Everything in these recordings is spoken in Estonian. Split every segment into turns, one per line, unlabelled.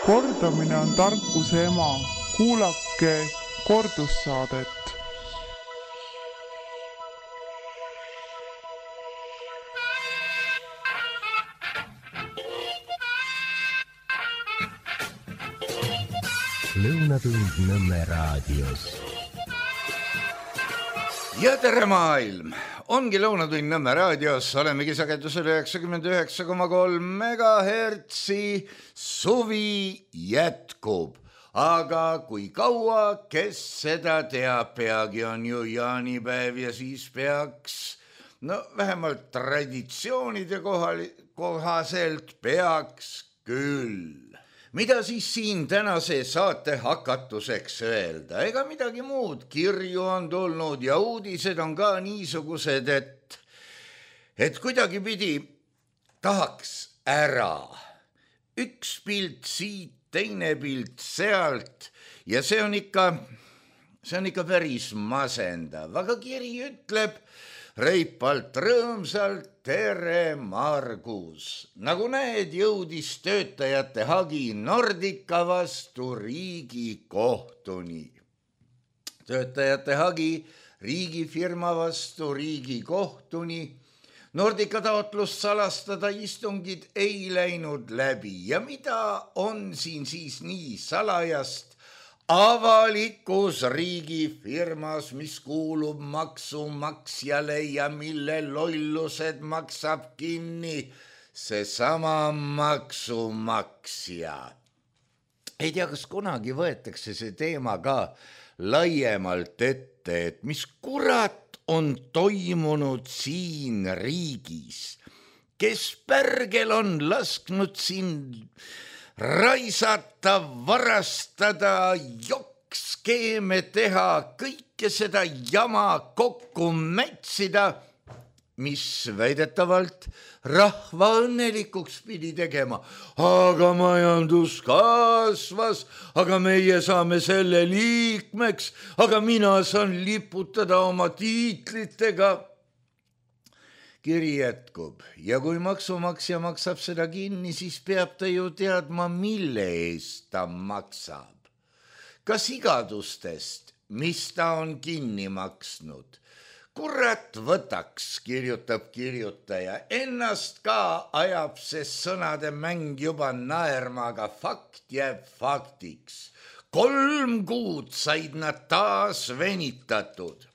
Kordamine on tarkuse ema. Kuulake kordussaadet.
Lõunatund Nõmme raadios.
Ja tere maailm! Ongi Lõunatund Nõmme raadios, olemegi sagedusel 99,3 megahertsi, suvi jätkub. Aga kui kaua, kes seda teab, peagi on ju jaanipäev ja siis peaks, vähemalt traditsioonide kohaselt peaks küll. Mida siis siin tänase saate hakatuseks öelda? Ega midagi muud, kirju on tulnud ja uudised on ka niisugused, et kuidagi pidi tahaks ära. Üks pilt siit, teine pilt sealt ja see on ikka päris masendav. Aga kiri ütleb reipalt rõõmsalt tere Margus. Nagu näed, jõudis töötajate hagi Nordica vastu Riigikohtuni. Töötajate hagi riigifirma vastu Riigikohtuni. Nordica taotlust salastada istungid ei läinud läbi. Ja mida on siin siis nii salajast? Avalikus riigifirmas, mis kuulub maksumaksjale ja mille lollused maksab kinni seesama maksumaksja. Ei tea, kas kunagi võetakse see teema ka laiemalt ette, et mis kurat on toimunud siin riigis, kes pärgel on lasknud siin raisata, varastada, jokkskeeme teha, kõike seda jama kokku mätsida, mis väidetavalt rahva õnnelikuks pidi tegema. Aga majandus kasvas, aga meie saame selle liikmeks, aga mina saan liputada oma tiitlitega. Kiri jätkub ja kui maksumaksja maksab seda kinni, siis peab ta ju teadma, mille eest ta maksab. Kas igadustest, mis ta on kinni maksnud? Kurat võtaks, kirjutab kirjutaja. Ennast ka ajab see sõnade mäng juba naerma, aga fakt jääb faktiks. 3 kuud said nad taas venitatud.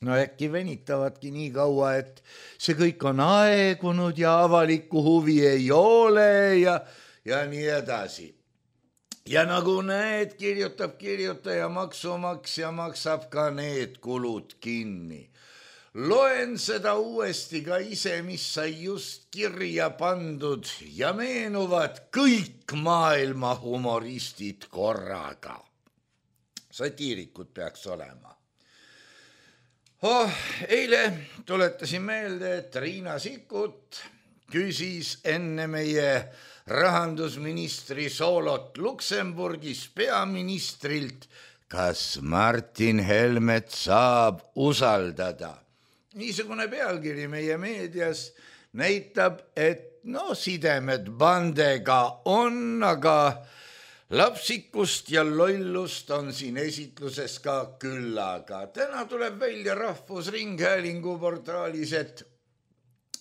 Äkki venitavadki nii kaua, et see kõik on aegunud ja avalikku huvi ei ole ja nii edasi. Ja nagu näed, kirjutab kirjutaja, maksumaksja maksab ka need kulud kinni. Loen seda uuesti ka ise, mis sai just kirja pandud ja meenuvad kõik maailma humoristid korraga. Satiirikud peaks olema. Eile tuletasin meelde, et Riina Sikkut küsis enne meie rahandusministri soolot Luksemburgis peaministrilt, kas Martin Helmet saab usaldada. Niisugune pealkiri meie meedias näitab, et sidemed bandega on, aga lapsikust ja lollust on siin esitluses ka küllaga. Täna tuleb välja Rahvusringhäälingu portaalis, et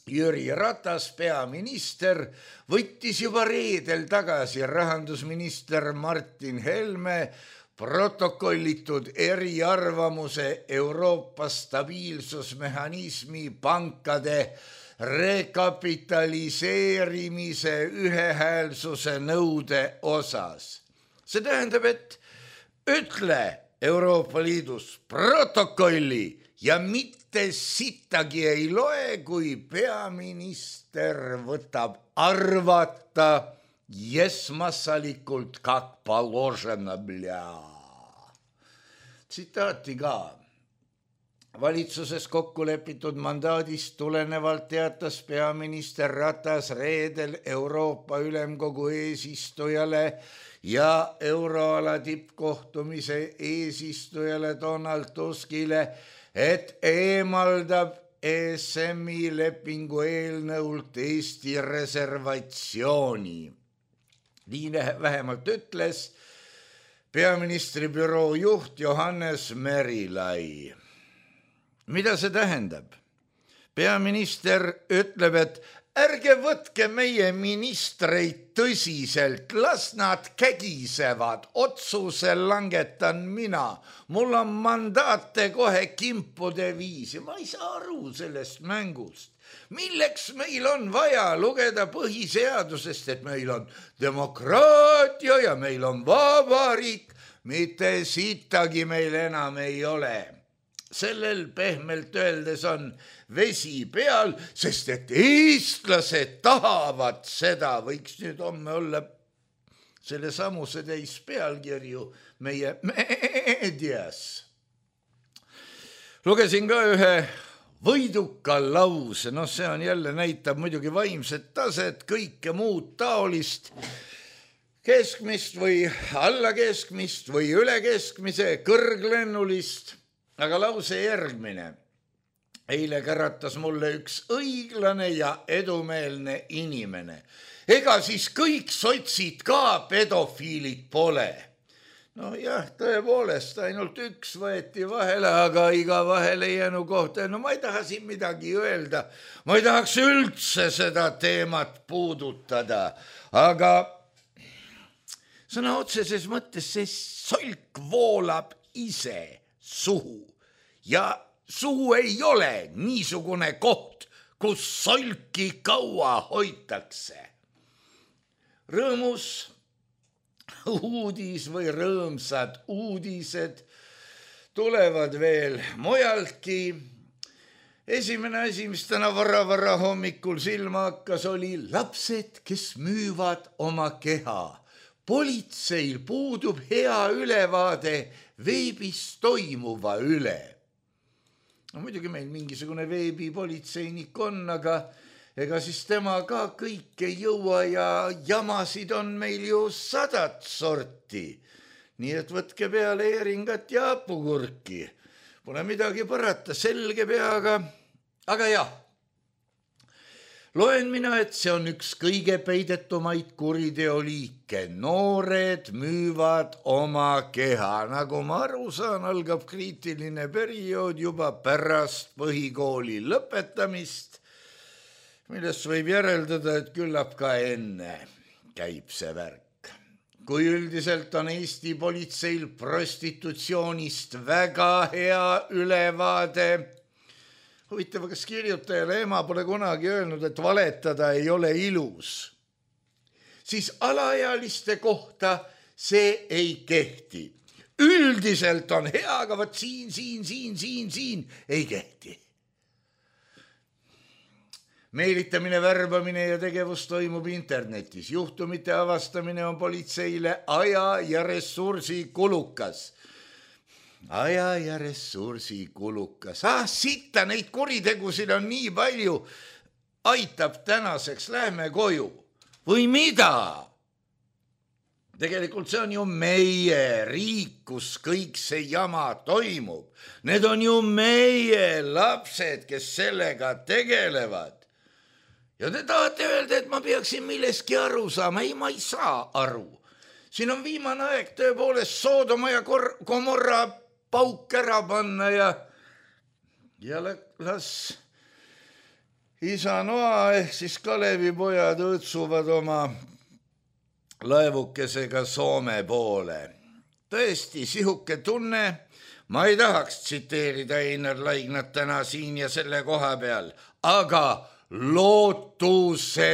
Jüri Ratas, peaminister, võttis juba reedel tagasi rahandusminister Martin Helme protokollitud eriarvamuse Euroopa stabiilsusmehhanismi pankade rekapitaliseerimise ühehäälsuse nõude osas. See tähendab, et ütle Euroopa Liidus protokolli ja mitte sittagi ei loe, kui peaminister võtab arvata esmassalikult как положено, Tsitaati ka. Valitsuses kokku lepitud mandaadist tulenevalt teatas peaminister Ratas reedel Euroopa Ülemkogu eesistujale ja euroala tippkohtumise eesistujale Donald Tuskile, et eemaldab ESM-i lepingu eelnõult Eesti reservatsiooni. nii vähemalt ütles peaministri büroo juht Johannes Merilai. Mida see tähendab? Peaminister ütleb, et ärge võtke meie ministreid tõsiselt, las nad kägisevad, otsuse langetan mina. Mul on mandaate kohe kimpude viisi. Ma ei saa aru sellest mängust. Milleks meil on vaja lugeda põhiseadusest, et meil on demokraatia ja meil on vabariik, mitte sittagi meil enam ei ole. Sellel pehmelt öeldes on vesi peal, sest et eestlased tahavad seda, võiks nüüd homme olla selle samuse täis pealkirju meie meedias. Lugesin ka ühe võiduka lause, see on jälle näitab muidugi vaimset taset, kõike muud taolist, keskmist või allakeskmist või ülekeskmise, kõrglennulist, aga lause järgmine. Eile käratas mulle üks õiglane ja edumeelne inimene. Ega siis kõik sotsid ka pedofiilid pole. No jah, tõepoolest, ainult üks võeti vahele, aga iga vahele jäänu kohta. No ma ei taha siin midagi öelda. Ma ei tahaks üldse seda teemat puudutada. Aga sõna otseses mõttes see solk voolab ise suhu. Ja suhu ei ole niisugune koht, kus solki kaua hoitakse. Rõõmus uudis või rõõmsad uudised tulevad veel mujaltki. Esimene asi, mis täna vara hommikul silma hakkas, oli lapsed, kes müüvad oma keha. Politseil puudub hea ülevaade veebis toimuva üle. No muidugi meil mingisugune veebipolitseinik on, aga ega siis tema ka kõike jõua ja jamasid on meil ju 100 sorti. Nii et võtke peale eeringat ja hapukurki. Pole midagi parata, selge peaga. Aga jah, loen mina, et see on üks kõige peidetumaid kuriteoliike. Noored müüvad oma keha. Nagu ma aru saan, algab kriitiline periood juba pärast põhikooli lõpetamist, millest võib järeldada, et küllap ka enne käib see värk. Kui üldiselt on Eesti politseil prostitutsioonist väga hea ülevaade, huvitav, kas kirjutajale ema pole kunagi öelnud, et valetada ei ole ilus, siis alaealiste kohta see ei kehti. Üldiselt on hea, aga võt siin ei kehti. Meelitamine, värbamine ja tegevus toimub internetis. Juhtumite avastamine on politseile aja ja ressursi kulukas. Aja ja ressursi kulukas. Sitta, neid kuritegusid on nii palju. Aitab tänaseks, lähme koju. Või mida? Tegelikult see on ju meie riik, kus kõik see jama toimub. Need on ju meie lapsed, kes sellega tegelevad. Ja te tahate öelda, et ma peaksin milleski aru saama. Ei, ma ei saa aru. Siin on viimane aeg tõepoolest Soodoma ja Gomorra pauk ära panna ja las isa Noa ehk siis Kalevi pojad õõtsuvad oma laevukesega Soome poole. Tõesti, sihuke tunne, ma ei tahaks tsiteerida Einar Laignat täna siin ja selle koha peal, aga lootusetu.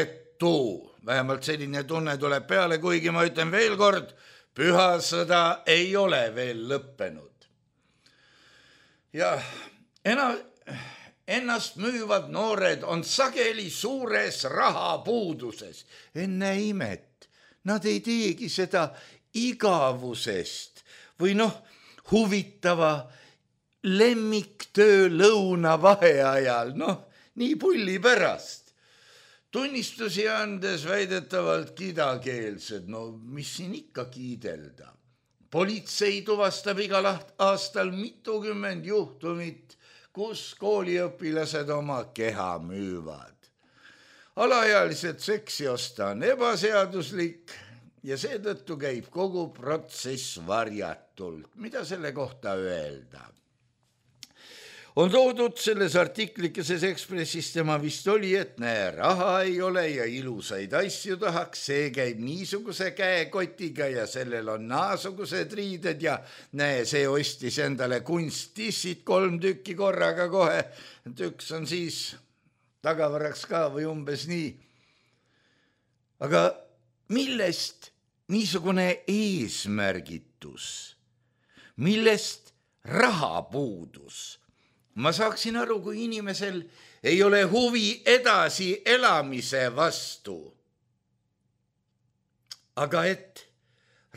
Vähemalt selline tunne tuleb peale, kuigi ma ütlen veel kord, püha sõda ei ole veel lõppenud. Ja ennast müüvad noored on sageli suures rahapuuduses. Enne imet, nad ei teegi seda igavusest või huvitava lemmiktöö lõuna vaheajal, nii pulli pärast. Tunnistusi andes väidetavalt kidakeelsed, mis siin ikka kiidelda. Politsei tuvastab igal aastal mitukümmend juhtumit, kus kooliõpilased oma keha müüvad. Alaealised seksi osta on ebaseaduslik, ja seetõttu käib kogu protsess varjatult. Mida selle kohta öelda? On toodud selles artiklikeses Ekspressis, tema vist oli, et näe, raha ei ole ja ilusaid asju tahaks, see käib niisuguse käekotiga ja sellel on naasugused riided ja näe, see ostis endale kunsttissid 3 tükki korraga kohe, et üks on siis tagavaraks ka või umbes nii. Aga millest niisugune eesmärgitus? Millest rahapuudus? Ma saaksin aru, kui inimesel ei ole huvi edasi elamise vastu. Aga et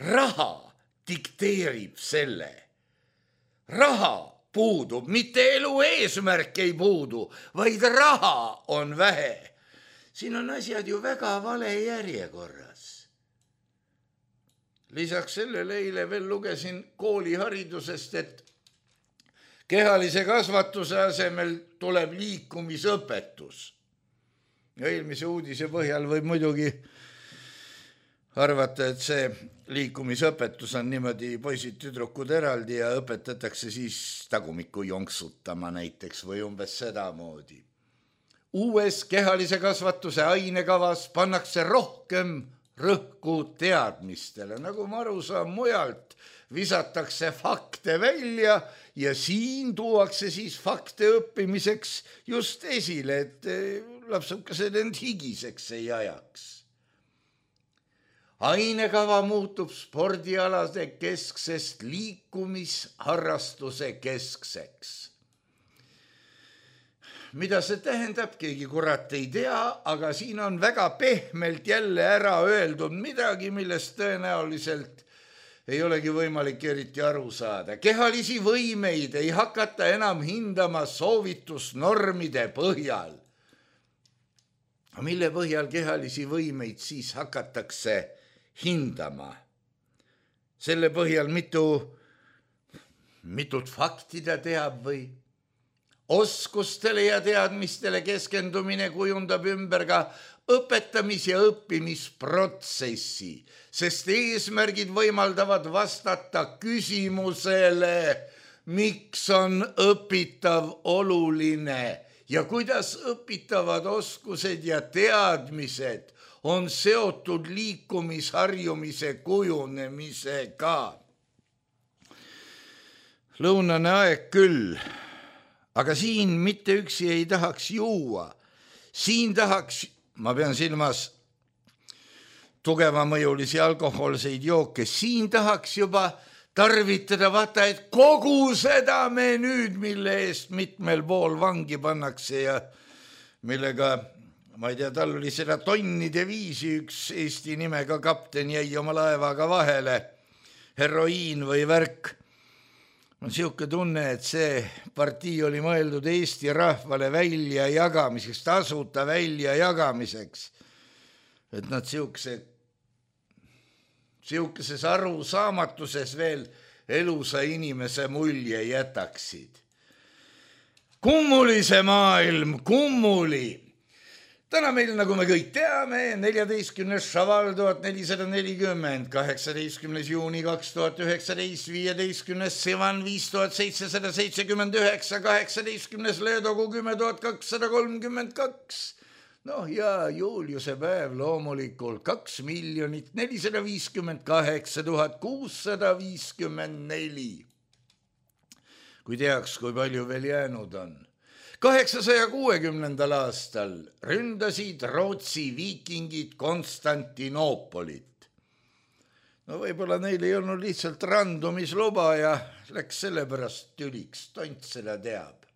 raha dikteerib selle. Raha puudub, mitte elu eesmärk ei puudu, vaid raha on vähe. Siin on asjad ju väga vale järjekorras. Lisaks sellele eile veel lugesin kooliharidusest, et kehalise kasvatuse asemel tuleb liikumisõpetus. Ja eelmise uudise põhjal võib muidugi arvata, et see liikumisõpetus on niimoodi poisid tüdrukud eraldi ja õpetatakse siis tagumikku jonksutama näiteks või umbes sedamoodi. Uues kehalise kasvatuse ainekavas pannakse rohkem rõhku teadmistele, nagu ma aru saan mujalt, visatakse fakte välja ja siin tuuakse siis fakte õppimiseks just esile, et lapsukesed end higiseks ei ajaks. Ainekava muutub spordialade kesksest liikumisharrastuse keskseks. Mida see tähendab, keegi kurat ei tea, aga siin on väga pehmelt jälle ära öeldud midagi, millest tõenäoliselt ei olegi võimalik eriti aru saada. Kehalisi võimeid ei hakata enam hindama soovitusnormide põhjal. Mille põhjal kehalisi võimeid siis hakatakse hindama? Selle põhjal mitut fakti ta teab või? Oskustele ja teadmistele keskendumine kujundab ümber ka õpetamis- ja õppimisprotsessi, sest eesmärgid võimaldavad vastata küsimusele, miks on õpitav oluline ja kuidas õpitavad oskused ja teadmised on seotud liikumisharjumise kujunemisega. Lõunane aeg küll, aga siin mitte üksi ei tahaks juua. Siin tahaks, ma pean silmas tugevamõjulisi alkohoolseid jooke, siin tahaks juba tarvitada, vaata, et kogu seda menüüd, mille eest mitmel pool vangi pannakse ja millega, ma ei tea, tal oli seda tonnide viisi, üks Eesti nimega kapten jäi oma laevaga vahele, heroiin või värk. On siuke tunne, et see partii oli mõeldud Eesti rahvale välja jagamiseks, tasuta välja jagamiseks. Et nad siukeses arusaamatuses veel elusa inimese mulje jätaksid. Kummuli see maailm, kummuli. Täna meil, nagu me kõik teame, 14. šaval 1440, 18. juuni 2019, 15. sivan 5779, 18. leedogu 10.232. Noh ja Juliuse päev loomulikult 2 458 654. Kui teaks, kui palju veel jäänud on. 860. aastal ründasid Rootsi viikingid Konstantinoopolit. No võib-olla neil ei olnud lihtsalt randumisluba ja läks sellepärast tüliks, tont seda teab.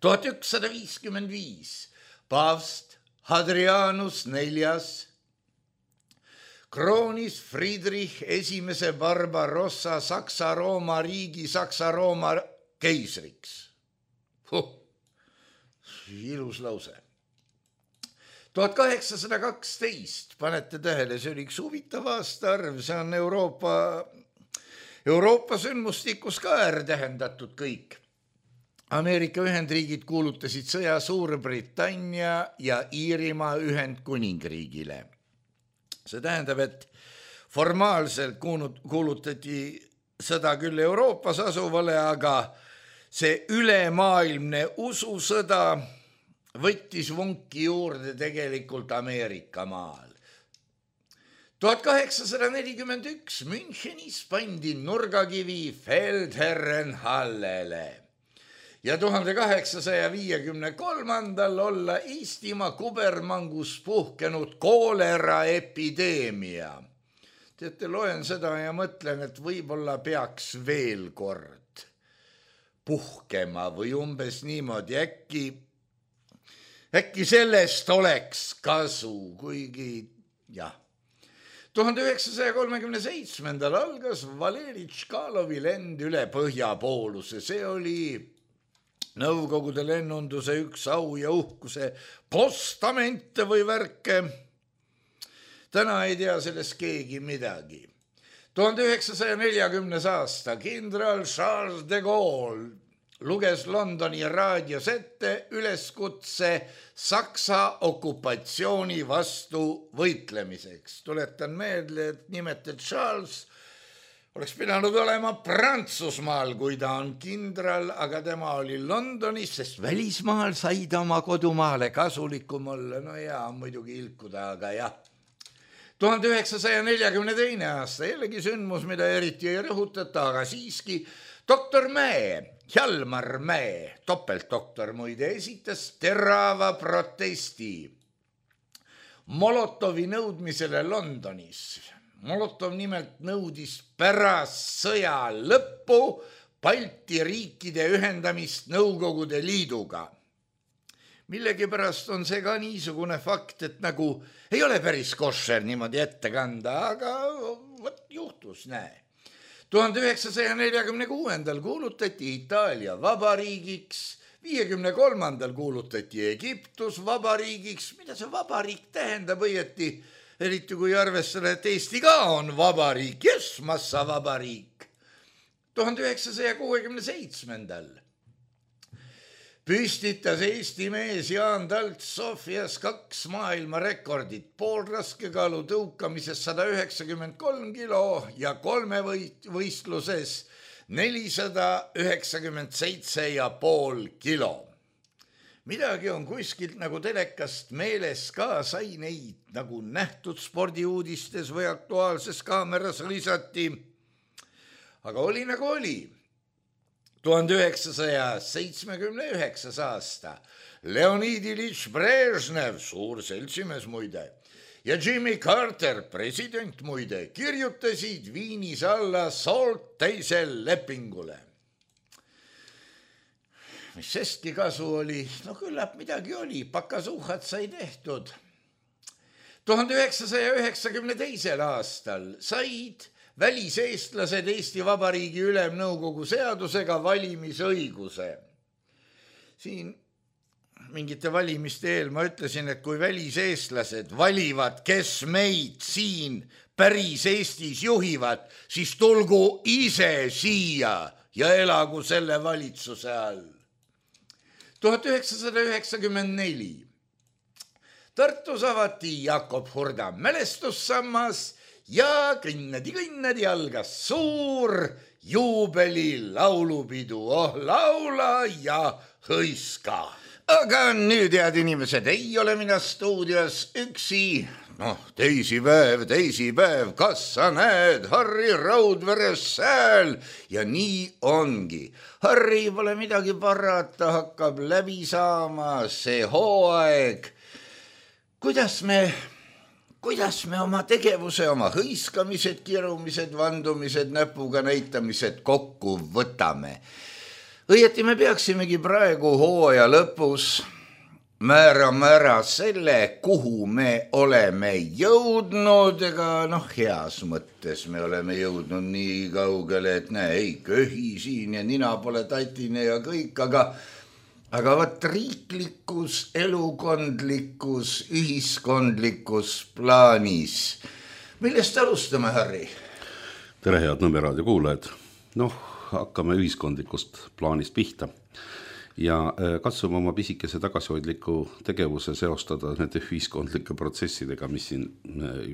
1155. Paavst Hadrianus IV kroonis Friedrich I Barbarossa Saksa-Rooma riigi Saksa-Rooma keisriks. Ilus lause. 1812, panete tähele, see oli üks huvitav aastaarv, see on Euroopa sündmustikus ka tähendatud kõik. Ameerika Ühendriigid kuulutasid sõja Suurbritannia ja Iirimaa Ühendkuningriigile. See tähendab, et formaalselt kuulutati sõda küll Euroopas asuvale, aga see ülemaailmne ususõda võttis vunki juurde tegelikult Ameerika maal. 1841 Münchenis pandi nurgakivi Feldherrenhallele ja 1853 olla Eestimaa kubermangus puhkenud kooleraepideemia. Teate, loen seda ja mõtlen, et võib-olla peaks veel kord puhkema või umbes niimoodi, äkki sellest oleks kasu, kuigi jah. 1937 algas Valeri Tškalovi lend üle Põhjapooluse. See oli Nõukogude lennunduse üks au ja uhkuse postamente või värke. Täna ei tea sellest keegi midagi. 1940. aasta kindral Charles de Gaulle luges Londoni raadios ette üleskutse Saksa okupatsiooni vastu võitlemiseks. Tuletan meelde, et nimelt Charles oleks pidanud olema Prantsusmaal, kui ta on kindral, aga tema oli Londonis, sest välismaal sai ta oma kodumaale kasulikum olla. No jaa, muidugi ilkuda, aga jah. 1942. aasta jällegi sündmus, mida eriti ei rõhutata, aga siiski doktor Mäe, Hjalmar Mäe, topeltdoktor muide, esitas terava protesti Molotovi nõudmisele Londonis. Molotov nimelt nõudis pärast sõja lõppu Balti riikide ühendamist Nõukogude Liiduga. Millegipärast on see ka niisugune fakt, et nagu ei ole päris košer niimoodi ette kanda, aga võt juhtus, näe. 1946. kuulutati Itaalia vabariigiks, 53. kuulutati Egiptus vabariigiks. Mida see vabariik tähendab õieti, eriti kui arvestada, et Eesti ka on vabariik, massa vabariik. 1967. püstitas Eesti mees Jaan Talts Sofias 2 maailmarekordit, poolraskekaalu tõukamises 193 kilo ja 3 võistluses 497,5 kilo. Midagi on kuskilt nagu telekast meeles ka, sai neid nagu nähtud spordiuudistes või Aktuaalses Kaameras lisati. Aga oli nagu oli. 1979. aasta Leonid Iljitš Brežnev, suur seltsimees muide, ja Jimmy Carter, president muide, kirjutasid Viinis alla SALT teisel lepingule. Mis sestki kasu oli? No küllap midagi oli, pakasuhad sai tehtud. 1992. aastal said väliseestlased Eesti Vabariigi Ülemnõukogu seadusega valimisõiguse. Siin mingite valimiste eel ma ütlesin, et kui väliseestlased valivad, kes meid siin päris Eestis juhivad, siis tulgu ise siia ja elagu selle valitsuse all. 1994. Tartus avati Jakob Hurda mälestussammas ja kõnnadi algas suur juubeli laulupidu, laula ja hõiska. Aga nüüd, head inimesed, ei ole mina stuudios üksi. Teisipäev, kas sa näed Harri Raudveres sääl? Ja nii ongi. Harri pole midagi parata, hakkab läbi saama see hooaeg. Kuidas me oma tegevuse, oma hõiskamised, kirumised, vandumised, näpuga näitamised kokku võtame? Õieti me peaksimegi praegu hooaja lõpus määrama ära selle, kuhu me oleme jõudnud, ega heas mõttes me oleme jõudnud nii kaugele, et ei köhi siin ja nina pole tatine ja kõik, aga võt riiklikus, elukondlikus, ühiskondlikus plaanis. Millest alustame, Harri?
Tere, head Nõmme raadio kuulajad. Hakkame ühiskondlikust plaanist pihta. ja katsume oma pisikese tagasihoidliku tegevuse seostada nende ühiskondlike protsessidega, mis siin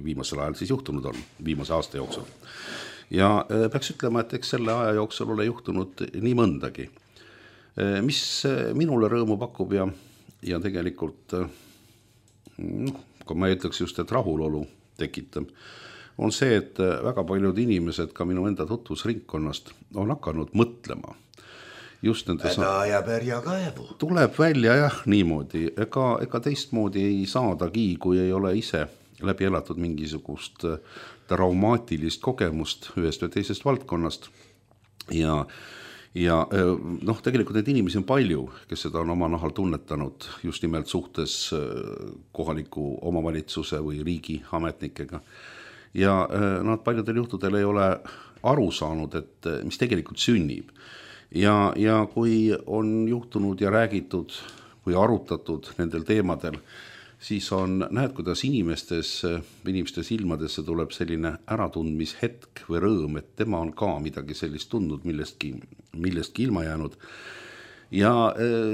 viimasel ajal siis juhtunud on, viimase aasta jooksul. Ja peaks ütlema, et eks selle aja jooksul ole juhtunud nii mõndagi, mis minule rõõmu pakub ja tegelikult, kui ma ütleks just, et rahulolu tekitab, on see, et väga paljud inimesed ka minu enda tutvusringkonnast on hakanud mõtlema. Just
häda ja pärja kaevu.
Tuleb välja jah niimoodi, ega teistmoodi ei saadagi, kui ei ole ise läbi elatud mingisugust traumaatilist kogemust ühest või teisest valdkonnast. Ja tegelikult neid inimesi on palju, kes seda on oma nahal tunnetanud just nimelt suhtes kohaliku omavalitsuse või riigi ametnikega. Ja nad paljudel juhtudel ei ole aru saanud, et mis tegelikult sünnib. Ja kui on juhtunud ja räägitud või arutatud nendel teemadel, siis näed, kuidas inimeste silmadesse tuleb selline äratundmishetk või rõõm, et tema on ka midagi sellist tundnud, millestki ilma jäänud. Ja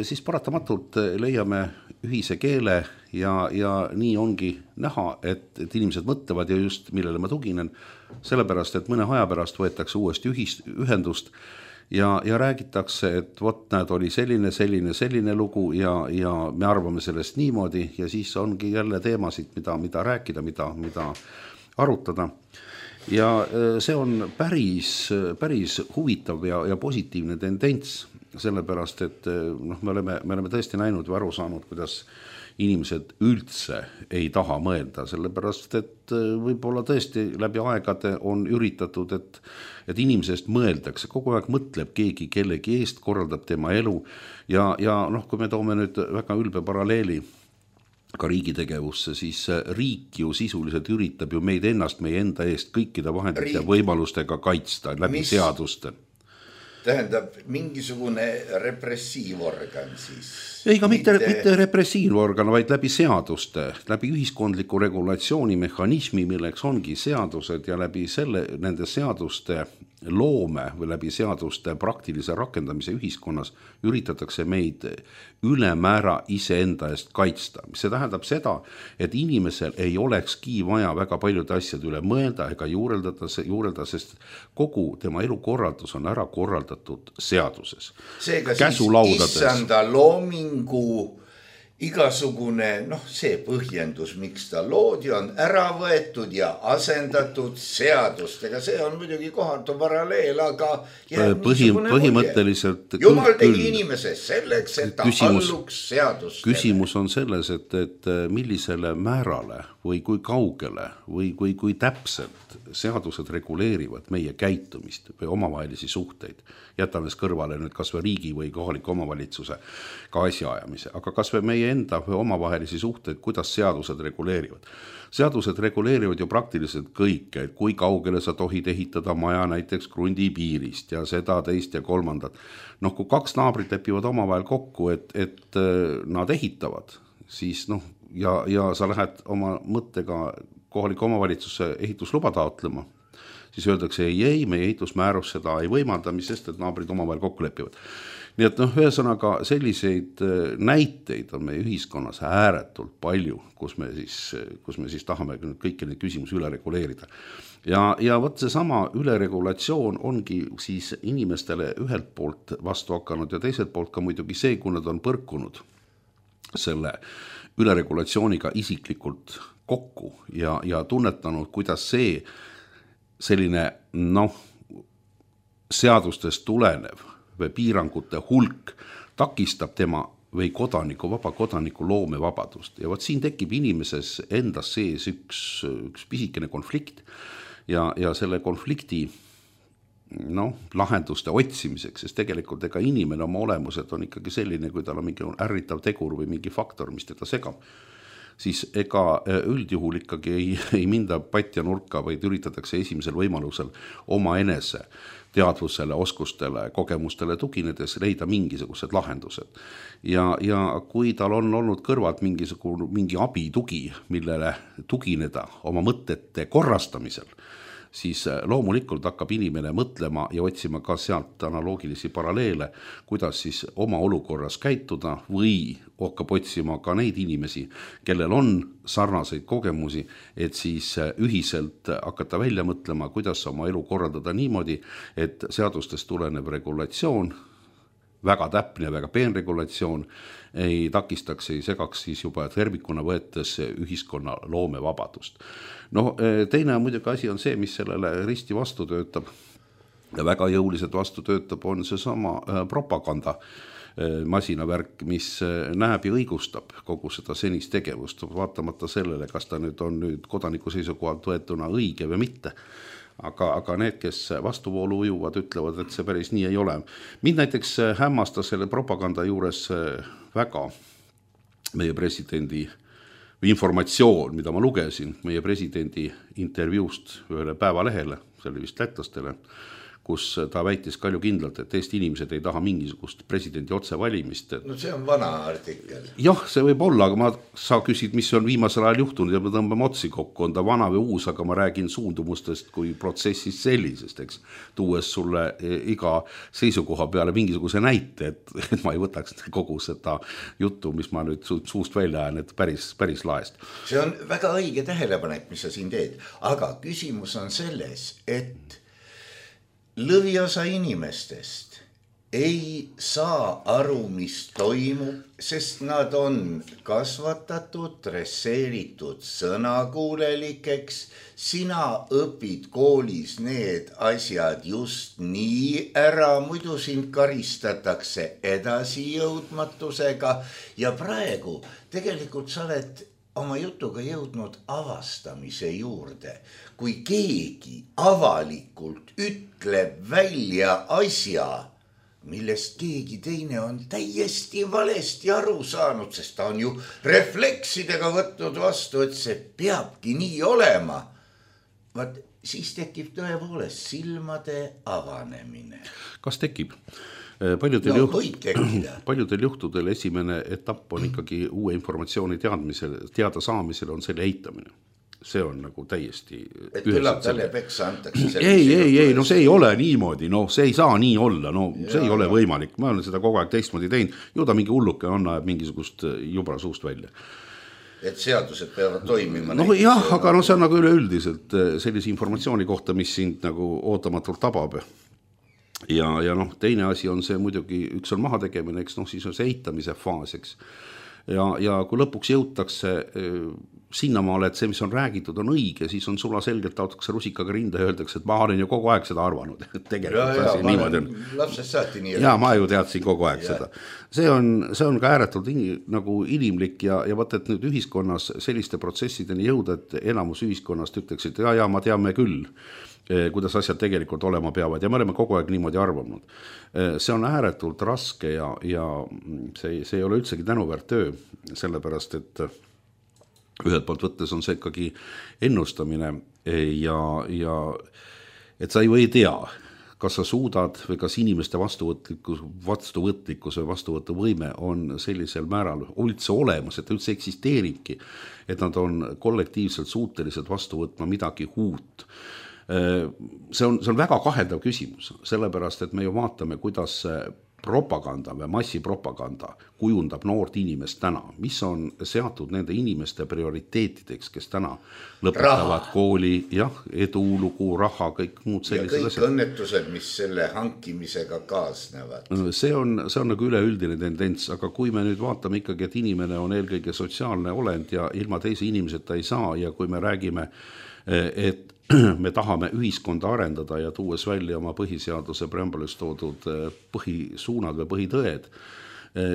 siis paratamatult leiame ühise keele ja nii ongi näha, et inimesed mõtlevad ja just millele ma tuginen, sellepärast, et mõne aja pärast võetakse uuesti ühendust ja räägitakse, et vot näed, oli selline lugu ja me arvame sellest niimoodi ja siis ongi jälle teemasid, mida rääkida, mida arutada. Ja see on päris huvitav ja positiivne tendents, sellepärast, et me oleme tõesti näinud või aru saanud, kuidas inimesed üldse ei taha mõelda, sellepärast, et võib-olla tõesti läbi aegade on üritatud, et inimesest mõeldakse, kogu aeg mõtleb keegi kellegi eest, korraldab tema elu ja kui me toome nüüd väga ülbe paralleeli ka riigi tegevusse, siis riik ju sisuliselt üritab ju meid ennast, meie enda eest kõikide vahendite ja võimalustega kaitsta läbi seaduste.
Tähendab, mingisugune repressiivorgan siis?
Ei, ka mitte repressiivorgan, vaid läbi seaduste, läbi ühiskondliku regulatsiooni mehhanismi, milleks ongi seadused ja läbi nende seaduste loome või läbi seaduste praktilise rakendamise ühiskonnas üritatakse meid ülemäära iseenda eest kaitsta. See tähendab seda, et inimesel ei olekski vaja väga paljude asjade üle mõelda ega juureldada, sest kogu tema elukorraldus on ära korraldatud seaduses.
Seega siis issanda loomingu igasugune, see põhjendus, miks ta loodi, on ära võetud ja asendatud seadustega. See on muidugi kohatu paralleel, aga
põhimõtteliselt
Jumal tegi inimese selleks, et ta alluks seadustele.
Küsimus on selles, et millisele määrale või kui kaugele või kui täpselt seadused reguleerivad meie käitumist või omavahelisi suhteid. Jätame kõrvale nüüd kas või riigi või kohaliku omavalitsuse ka asjaajamise, aga kas või meie enda või omavahelisi suhteid, kuidas seadused reguleerivad. Seadused reguleerivad ju praktiliselt kõike, et kui kaugele sa tohid ehitada maja näiteks krundi piirist ja seda, teist ja kolmandat. Kui kaks naabrit lepivad omavahel kokku, et nad ehitavad, siis ja sa lähed oma mõttega kohaliku omavalitsuse ehitusluba taotlema, siis öeldakse ei, meie ehitusmäärus seda ei võimalda, mis sest, et naabrid omavahel kokku lepivad. Nii et ühesõnaga selliseid näiteid on meie ühiskonnas ääretult palju, kus me siis tahame kõiki neid küsimusi üle reguleerida. Ja võt see sama üleregulatsioon ongi siis inimestele ühelt poolt vastu hakanud ja teiselt poolt ka muidugi see, kui nad on põrkunud selle üleregulatsiooniga isiklikult kokku ja tunnetanud, kuidas see selline seadustest tulenev või piirangute hulk takistab tema või vaba kodaniku loomevabadust. Ja võt siin tekib inimeses endas sees üks pisikene konflikt ja selle konflikti lahenduste otsimiseks, sest tegelikult ega inimene oma olemuselt on ikkagi selline, kui tal on mingi ärritav tegur või mingi faktor, mis teda segab, siis ega üldjuhul ikkagi ei minda patja nurka, vaid üritatakse esimesel võimalusel oma enese teadvusele, oskustele, kogemustele tuginedes leida mingisugused lahendused. Ja kui tal on olnud kõrvalt mingi abitugi, millele tugineda oma mõtete korrastamisel, siis loomulikult hakkab inimene mõtlema ja otsima ka sealt analoogilisi paralleele, kuidas siis oma olukorras käituda või hakkab otsima ka neid inimesi, kellel on sarnaseid kogemusi, et siis ühiselt hakata välja mõtlema, kuidas oma elu korraldada niimoodi, et seadustest tulenev regulatsioon, väga täpne ja väga peen regulatsioon, ei takistaks, ei segaks siis juba tervikuna võetes ühiskonna loomevabadust. No teine muidugi asi on see, mis sellele risti vastu töötab ja väga jõuliselt vastu töötab, on see sama propaganda masinavärk, mis näeb ja õigustab kogu seda senist tegevust, vaatamata sellele, kas ta nüüd on nüüd kodaniku seisukohalt võetuna õige või mitte. Aga need, kes vastuvoolu ujuvad, ütlevad, et see päris nii ei ole. Mind näiteks hämmastas selle propaganda juures väga meie presidendi informatsioon, mida ma lugesin meie presidendi intervjuust ühele päevalehele, see oli vist lätlastele, kus ta väitis kaljukindlalt, et Eesti inimesed ei taha mingisugust presidendi otsevalimist.
No see on vana artikkel.
Jah, see võib olla, aga sa küsid, mis on viimasel ajal juhtunud ja me tõmbame otsi kokku, on ta vana või uus, aga ma räägin suundumustest kui protsessist sellisest, eks, tuues sulle iga seisukoha peale mingisuguse näite, et ma ei võtaks kogu seda juttu, mis ma nüüd suust välja ajan, et päris laest.
See on väga õige tähelepanek, mis sa siin teed, aga küsimus on selles, et lõviosa inimestest ei saa aru, mis toimub, sest nad on kasvatatud, dresseeritud sõnakuulelikeks. Sina õpid koolis need asjad just nii ära, muidu sind karistatakse edasijõudmatusega ja praegu tegelikult sa oled oma jutuga jõudnud avastamise juurde. Kui keegi avalikult ütleb välja asja, millest keegi teine on täiesti valesti aru saanud, sest ta on ju refleksidega võtnud vastu, et see peabki nii olema. Vaat siis tekib tõepoolest silmade avanemine.
Kas tekib? Paljudel juhtudel esimene etapp on ikkagi uue informatsiooni teada saamisel on selle eitamine. See on nagu täiesti...
Et küllap talle peksa antakse.
Ei, no see ei ole niimoodi, no see ei saa nii olla, no see ei ole võimalik. Ma olen seda kogu aeg teistmoodi teinud, ju ta mingi hulluke on mingisugust jubra suust välja.
Et seadused peavad toimima.
No jah, aga no see on nagu üleüldiselt sellise informatsiooni kohta, mis sind nagu ootamatult tabab. Ja noh, teine asi on see muidugi, üks on mahategemine, eks noh, siis on see eitamise faas, eks. Ja kui lõpuks jõutakse sinnamaale, et see, mis on räägitud, on õige, siis on sula selgelt taotakse rusikaga rinda ja öeldakse, et ma olen ju kogu aeg seda arvanud.
Lapsest saati nii.
Ja ma ju teadsin kogu aeg seda. See on ka ääretult nagu inimlik ja võtta, et nüüd ühiskonnas selliste protsessideni jõuda, et enamus ühiskonnast ütleks, et ja ma teame küll, kuidas asjad tegelikult olema peavad ja me oleme kogu aeg niimoodi arvanud. See on ääretult raske ja see ei ole üldsegi tänuväärt töö, sellepärast, et ühelt poolt võttes on see ikkagi ennustamine ja et sa ei tea, kas sa suudad või kas inimeste vastuvõtlikkus või vastuvõtuvõime on sellisel määral üldse olemas, et ta üldse eksisteeribki, et nad on kollektiivselt suutelised vastu võtma midagi uut. See on väga kaheldav küsimus, sellepärast, et me ju vaatame, kuidas propaganda või massipropaganda kujundab noort inimest täna, mis on seatud nende inimeste prioriteetideks, kes täna lõpetavad kooli, edulugu, raha, kõik muud sellised
asjad. Ja kõik õnnetused, mis selle hankimisega kaasnevad.
See on nagu üleüldine tendents, aga kui me nüüd vaatame ikkagi, et inimene on eelkõige sotsiaalne olend ja ilma teise inimeseta ei saa ja kui me räägime, et me tahame ühiskonda arendada ja tuues välja oma põhiseaduse preambulis toodud põhisuunad või põhitõed,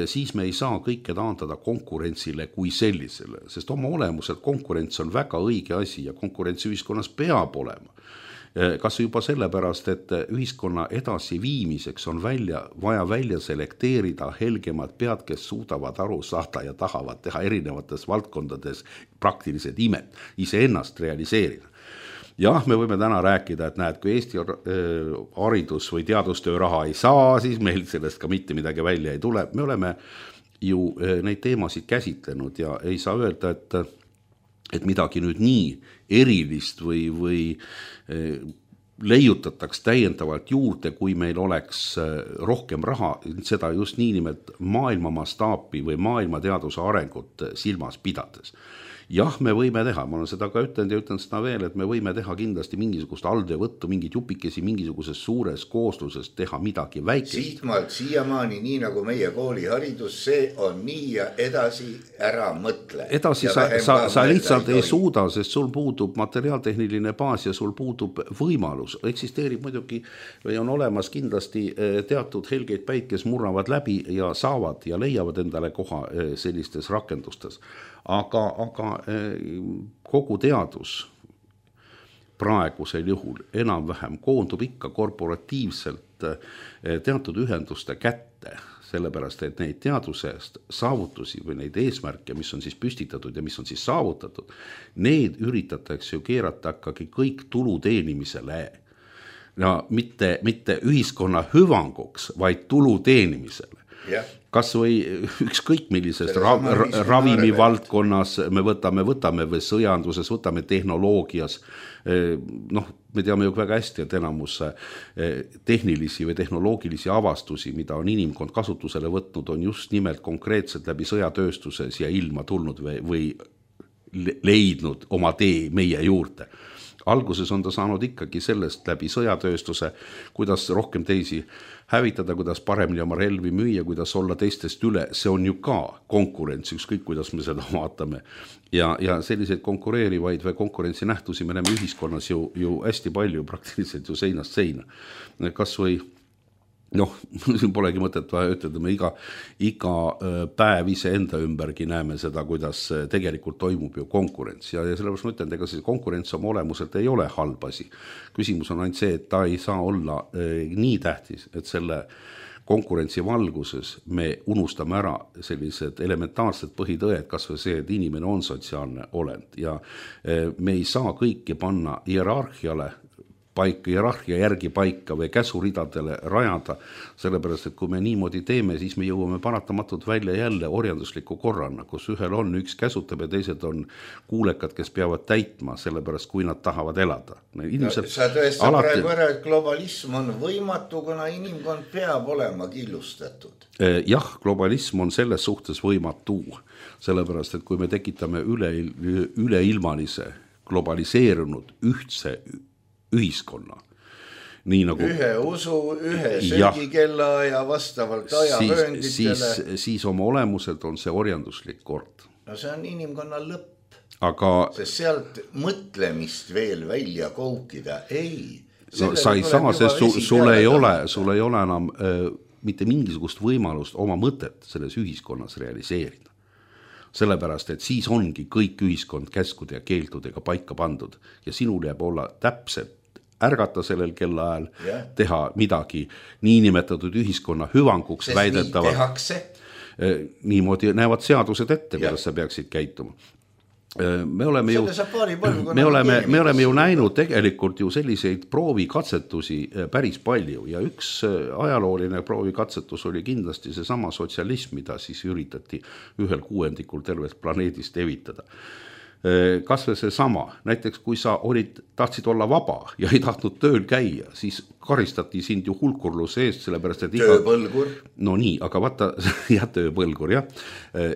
siis me ei saa kõike taandada konkurentsile kui sellisele, sest oma olemuselt konkurents on väga õige asi ja konkurents ühiskonnas peab olema. Kas juba sellepärast, et ühiskonna edasi viimiseks on vaja välja selekteerida helgemad pead, kes suudavad aru saada ja tahavad teha erinevates valdkondades praktilised imed, iseennast realiseerida. Jah, me võime täna rääkida, et näed, kui Eesti haridus- või teadustöö raha ei saa, siis meil sellest ka mitte midagi välja ei tule. Me oleme ju neid teemasid käsitlenud ja ei saa öelda, et midagi nüüd nii erilist või leiutataks täiendavalt juurde, kui meil oleks rohkem raha, seda just niinimelt maailma mastaapi või maailma teaduse arengut silmas pidades. Jah, me võime teha, ma olen seda ka ütlenud ja ütlen seda veel, et me võime teha kindlasti mingisugust aldevõttu, mingid jupikesi mingisuguses suures koosluses teha midagi väikest.
Siitmaalt siiamaani, nii nagu meie kooliharidus, see on nii ja edasi ära mõtle.
Edasi sa lihtsalt ei suuda, sest sul puudub materiaaltehniline baas ja sul puudub võimalus. Eksisteerib muidugi või on olemas kindlasti teatud helgeid päid, kes murravad läbi ja saavad ja leiavad endale koha sellistes rakendustes. Aga kogu teadus praegusel juhul enam-vähem koondub ikka korporatiivselt teatud ühenduste kätte, sellepärast, et neid teadusest saavutusi või neid eesmärke, mis on siis püstitatud ja mis on siis saavutatud, need üritatakse ju keerata ikkagi kõik tulu teenimisele. No, mitte ühiskonna hüvanguks, vaid tulu teenimisele. Yeah. Kas või ükskõik millises ravimi valdkonnas me võtame või sõjanduses, võtame tehnoloogias. Me teame ju väga hästi, et enamus tehnilisi või tehnoloogilisi avastusi, mida on inimkond kasutusele võtnud, on just nimelt konkreetselt läbi sõjatööstuses ja ilma tulnud või leidnud oma tee meie juurde. Alguses on ta saanud ikkagi sellest läbi sõjatööstuse, kuidas rohkem teisi hävitada, kuidas paremini oma relvi müüa, kuidas olla teistest üle. See on ju ka konkurents, ükskõik kuidas me seda vaatame. Ja selliseid konkureerivaid või konkurentsi nähtusi me näeme ühiskonnas ju hästi palju, praktiliselt ju seinast seina. Kas või siin polegi mõtet vaja ütelda, me iga päev ise enda ümbergi näeme seda, kuidas tegelikult toimub ju konkurents ja sellepärast ma ütlen, ega see konkurents oma olemuselt ei ole halb asi. Küsimus on ainult see, et ta ei saa olla nii tähtis, et selle konkurentsi valguses me unustame ära sellised elementaarsed põhitõed, kas või see, et inimene on sotsiaalne olend ja me ei saa kõiki panna hierarhia järgi paika või käsuridadele rajada, sellepärast, et kui me niimoodi teeme, siis me jõuame paratamatult välja jälle orjandusliku korrana, kus ühel on üks käsutab ja teised on kuulekad, kes peavad täitma, sellepärast, kui nad tahavad elada.
Sa tõestad praegu ära, et globalism on võimatu, kuna inimkond peab olema killustatud.
Jah, globalism on selles suhtes võimatu, sellepärast, et kui me tekitame üleilmalise, globaliseerunud ühtse ühiskonna. Nii nagu,
ühe usu, ühe söögikella ja vastavalt ajavöönditele.
Siis oma olemuselt on see orjanduslik kord.
No see on inimkonna lõpp.
Aga
sest sealt mõtlemist veel välja koukida. Ei.
No, sa ei saa, sest sul ei ole enam mitte mingisugust võimalust oma mõtet selles ühiskonnas realiseerida. Sellepärast, et siis ongi kõik ühiskond käskude ja keeldudega paika pandud ja sinul jääb olla täpselt ärgata sellel kellaajal, teha midagi niinimetatud ühiskonna hüvanguks väidetavalt. Niimoodi näevad seadused ette, kuidas sa peaksid käituma. Me oleme ju näinud tegelikult ju selliseid proovikatsetusi päris palju ja üks ajalooline proovikatsetus oli kindlasti see sama sotsialism, mida siis üritati 1/6 tervest planeedist evitada. Kas või see sama, näiteks kui sa tahtsid olla vaba ja ei tahtnud tööl käia, siis karistati sind ju hulkurluse eest, sellepärast, et
tööpõlgur.
No nii, aga vaata, tööpõlgur, jah.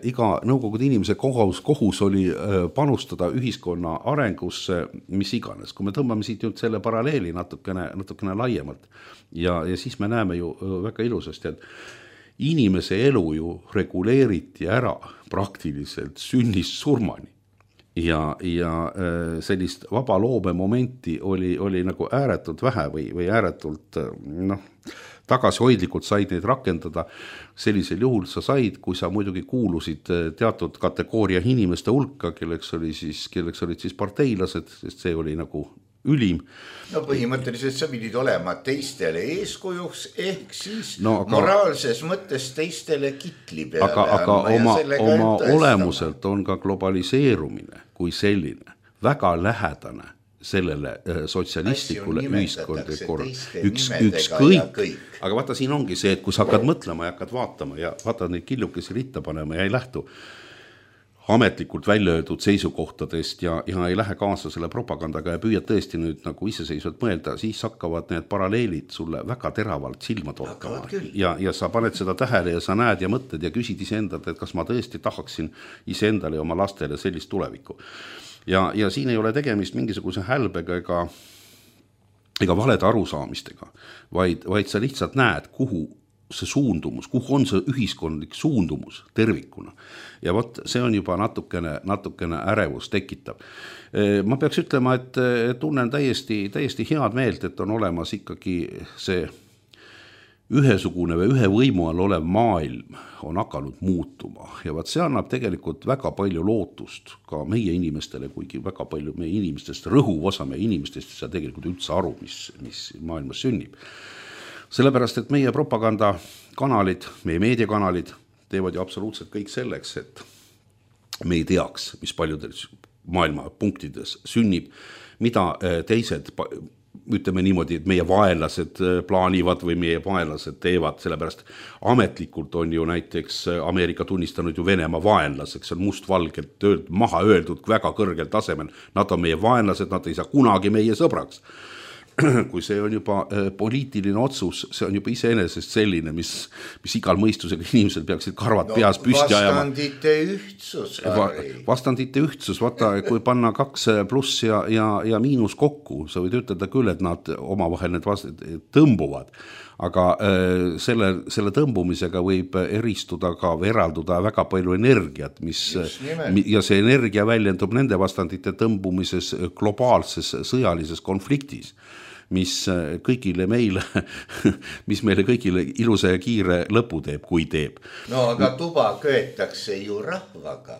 Iga nõukogude inimese kohus oli panustada ühiskonna arengusse, mis iganes. Kui me tõmbame siit nüüd selle paralleeli natukene laiemalt ja siis me näeme ju väga ilusasti, et inimese elu ju reguleeriti ära praktiliselt sünnist surmani. Ja sellist vaba loome momenti oli nagu ääretult vähe või ääretult tagasihoidlikult said neid rakendada. Sellisel juhul sa said, kui sa muidugi kuulusid teatud kategooria inimeste hulka, kelleks olid siis parteilased, sest see oli nagu ülim.
No põhimõtteliselt sa pidid olema teistele eeskujuks ehk siis moraalses mõttes teistele kitli peale.
Aga oma olemuselt on ka globaliseerumine kui selline väga lähedane sellele sotsialistlikule ühiskondlikule ükskõik. Aga vaata, siin ongi see, et kui sa hakkad mõtlema ja hakkad vaatama ja vaatad neid killukesi ritta panema ja ei lähtu. ametlikult välja öeldud seisukohtadest ja ei lähe kaasa selle propagandaga ja püüad tõesti nüüd nagu iseseisvalt mõelda, siis hakkavad need paralleelid sulle väga teravalt silma torkama. Ja sa paned seda tähele ja sa näed ja mõtled ja küsid iseendalt, et kas ma tõesti tahaksin iseendale ja oma lastele sellist tulevikku. Ja siin ei ole tegemist mingisuguse hälbega ega valede arusaamistega, vaid sa lihtsalt näed, kuhu see suundumus, kuhu on see ühiskondlik suundumus tervikuna. Ja vot see on juba natukene ärevus tekitav. Ma peaks ütlema, et tunnen täiesti head meelt, et on olemas ikkagi see ühesugune või ühe võimu all olev maailm on hakanud muutuma. Ja vaat see annab tegelikult väga palju lootust ka meie inimestele, kuigi väga palju meie inimestest, rõhuv osa meie inimestest ei saa tegelikult üldse aru, mis maailmas sünnib. Sellepärast, et meie propagandakanalid, meie meediakanalid teevad ju absoluutselt kõik selleks, et me ei teaks, mis paljudes maailma punktides sünnib, mida teised, ütleme niimoodi, et meie vaenlased plaanivad või meie vaenlased teevad, sellepärast ametlikult on ju näiteks Ameerika tunnistanud ju Venemaa vaenlaseks, on mustvalgelt maha öeldud väga kõrgel tasemel, nad on meie vaenlased, nad ei saa kunagi meie sõbraks. Kui see on juba poliitiline otsus, see on juba iseenesest selline, mis igal mõistusega inimesel peaksid karvad peas püsti ajama.
Vastandite ühtsus, Harri.
Vastandite ühtsus, vaata, kui panna 2 pluss ja miinus kokku, sa võid ütelda küll, et nad omavahel need tõmbuvad, aga selle tõmbumisega võib eristuda ka või eralduda väga palju energiat, ja see energia väljendub nende vastandite tõmbumises globaalses sõjalises konfliktis, mis meile kõigile ilusa ja kiire lõpu teeb, kui teeb.
No aga tuba köetakse ju rahvaga.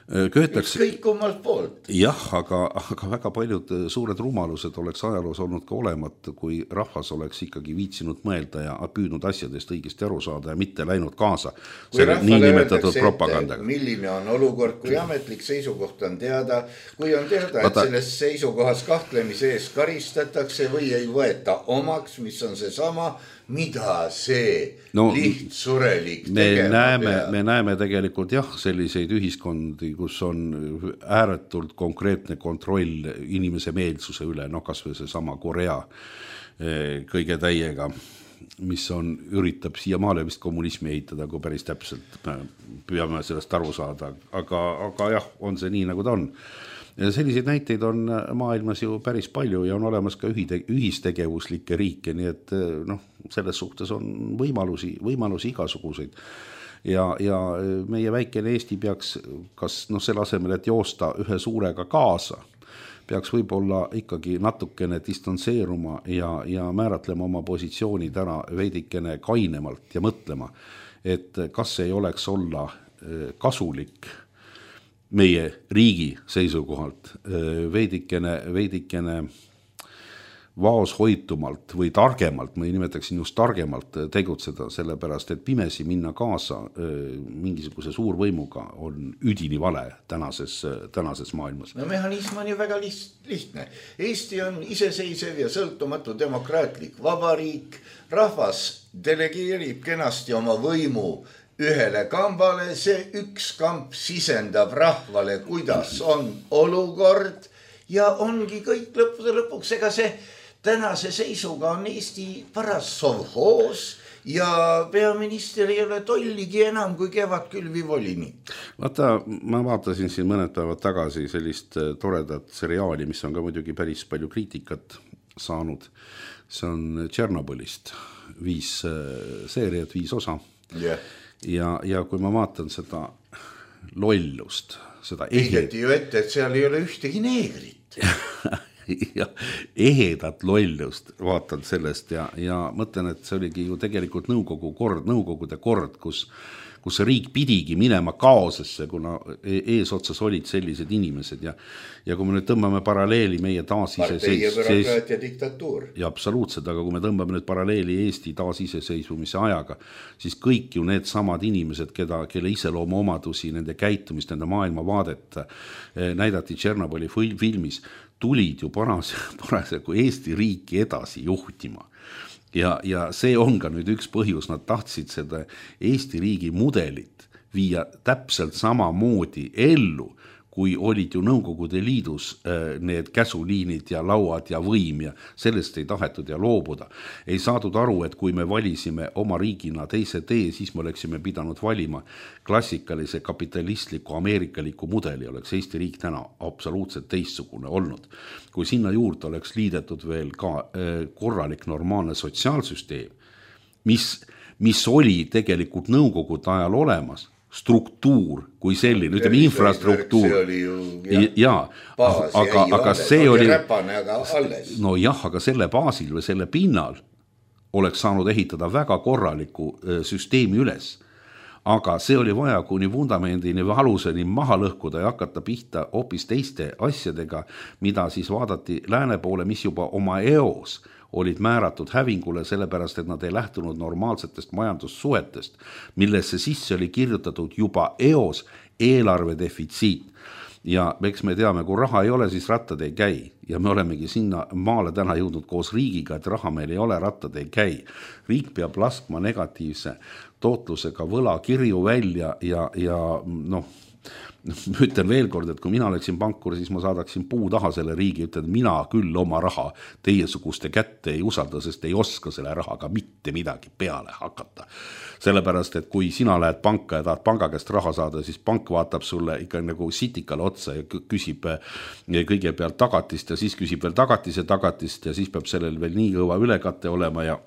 Ükskõik kummalt poolt.
Jah, aga väga paljud suured rumalused oleks ajaloos olnud ka olemata, kui rahvas oleks ikkagi viitsinud mõelda ja püüdnud asjadest õigesti aru saada ja mitte läinud kaasa selle niinimetatud propagandaga.
Milline on olukord, kui ametlik seisukoht on teada, kui on teada, et selles seisukohas kahtlemise ees karistatakse või ei võeta omaks, mis on see sama, mida see lihtsurelik tegema peab.
Me näeme tegelikult selliseid ühiskondi, kus on ääretult konkreetne kontroll inimese meelsuse üle, kas või see sama Korea kõige täiega, mis üritab siiamaale vist kommunismi ehitada, kui päris täpselt püüame sellest aru saada, aga jah, on see nii, nagu ta on. Ja selliseid näiteid on maailmas ju päris palju ja on olemas ka ühistegevuslikke riike, nii et selles suhtes on võimalusi igasuguseid. Ja meie väikene Eesti peaks kas selle asemel, et joosta ühe suurega kaasa, peaks võib-olla ikkagi natukene distantseeruma ja määratlema oma positsioonid ära veidikene kainemalt ja mõtlema, et kas ei oleks olla kasulik meie riigi seisukohalt veidikene vaoshoitumalt või targemalt, ma ei nimetaksin just targemalt tegutseda, sellepärast, et pimesi minna kaasa mingisuguse suurvõimuga on üdini vale tänases maailmas.
No mehhanism on ju väga lihtne. Eesti on iseseisev ja sõltumatu demokraatlik vabariik, rahvas delegeerib kenasti oma võimu ühele kambale, see üks kamp sisendab rahvale, kuidas on olukord ja ongi kõik lõppude lõpuks. Ega see tänase seisuga on Eesti paras sovhoos ja peaminister ei ole tolligi enam kui kevadkülvi volinik.
Vaata, ma vaatasin siin mõned päevad tagasi sellist toredat seriaali, mis on ka muidugi päris palju kriitikat saanud. See on Tšernobõlist 5 seeriat, 5 osa. Ja kui ma vaatan seda lollust, seda
Heideti ju ette, et seal ei ole ühtegi neegrit.
Ja ehedat lollust vaatan sellest ja mõtlen, et see oligi ju tegelikult nõukogude kord, kus riik pidigi minema kaosesse, kuna eesotsas olid sellised inimesed ja kui me nüüd tõmbame paralleeli meie
partei ja bürokraatia diktatuur.
Ja absoluutselt, aga kui me tõmbame nüüd paralleeli Eesti taasiseseisvumise ajaga, siis kõik ju need samad inimesed, kelle iseloomu omadusi, nende käitumist, nende maailmavaadet näidati Tšernobõli filmis, tulid ju parasjagu Eesti riiki edasi juhtima. Ja see on ka nüüd üks põhjus, nad tahtsid seda Eesti riigi mudelit viia täpselt samamoodi ellu, kui olid ju Nõukogude Liidus need käsuliinid ja lauad ja võim ja sellest ei tahetud ja loobuda. Ei saadud aru, et kui me valisime oma riigina teise tee, siis me oleksime pidanud valima klassikalise kapitalistliku ameerikaliku mudeli, oleks Eesti riik täna absoluutselt teistsugune olnud. Kui sinna juurde oleks liidetud veel ka korralik normaalne sotsiaalsüsteem, mis oli tegelikult Nõukogude ajal olemas, struktuur kui selline, ütleme infrastruktuur.
See oli ju
aga see oli
räpane, aga alles.
No jah, aga selle baasil või selle pinnal oleks saanud ehitada väga korraliku süsteemi üles. Aga see oli vaja kuni vundamendini või aluseni maha lõhkuda ja hakata pihta hoopis teiste asjadega, mida siis vaadati lääne poole, mis juba oma eos olid määratud hävingule, sellepärast, et nad ei lähtunud normaalsetest majandussuhetest, millesse sisse oli kirjutatud juba eos eelarve defitsiit. Ja eks me teame, kui raha ei ole, siis rattad ei käi. Ja me olemegi sinna maale täna jõudnud koos riigiga, et raha meil ei ole, rattad ei käi. Riik peab laskma negatiivse tootlusega võla kirju välja ja noh, ütlen veel kord, et kui mina oleksin pankur, siis ma saadaksin puu taha selle riigi, ütlen, mina küll oma raha teiesuguste kätte ei usalda, sest ei oska selle rahaga mitte midagi peale hakata. Sellepärast, et kui sina lähed panka ja tahad panga käest raha saada, siis pank vaatab sulle ikka nagu sitikale otsa ja küsib kõigepealt tagatist ja siis küsib veel tagatist ja siis peab sellel veel nii kõva ülekate olema ja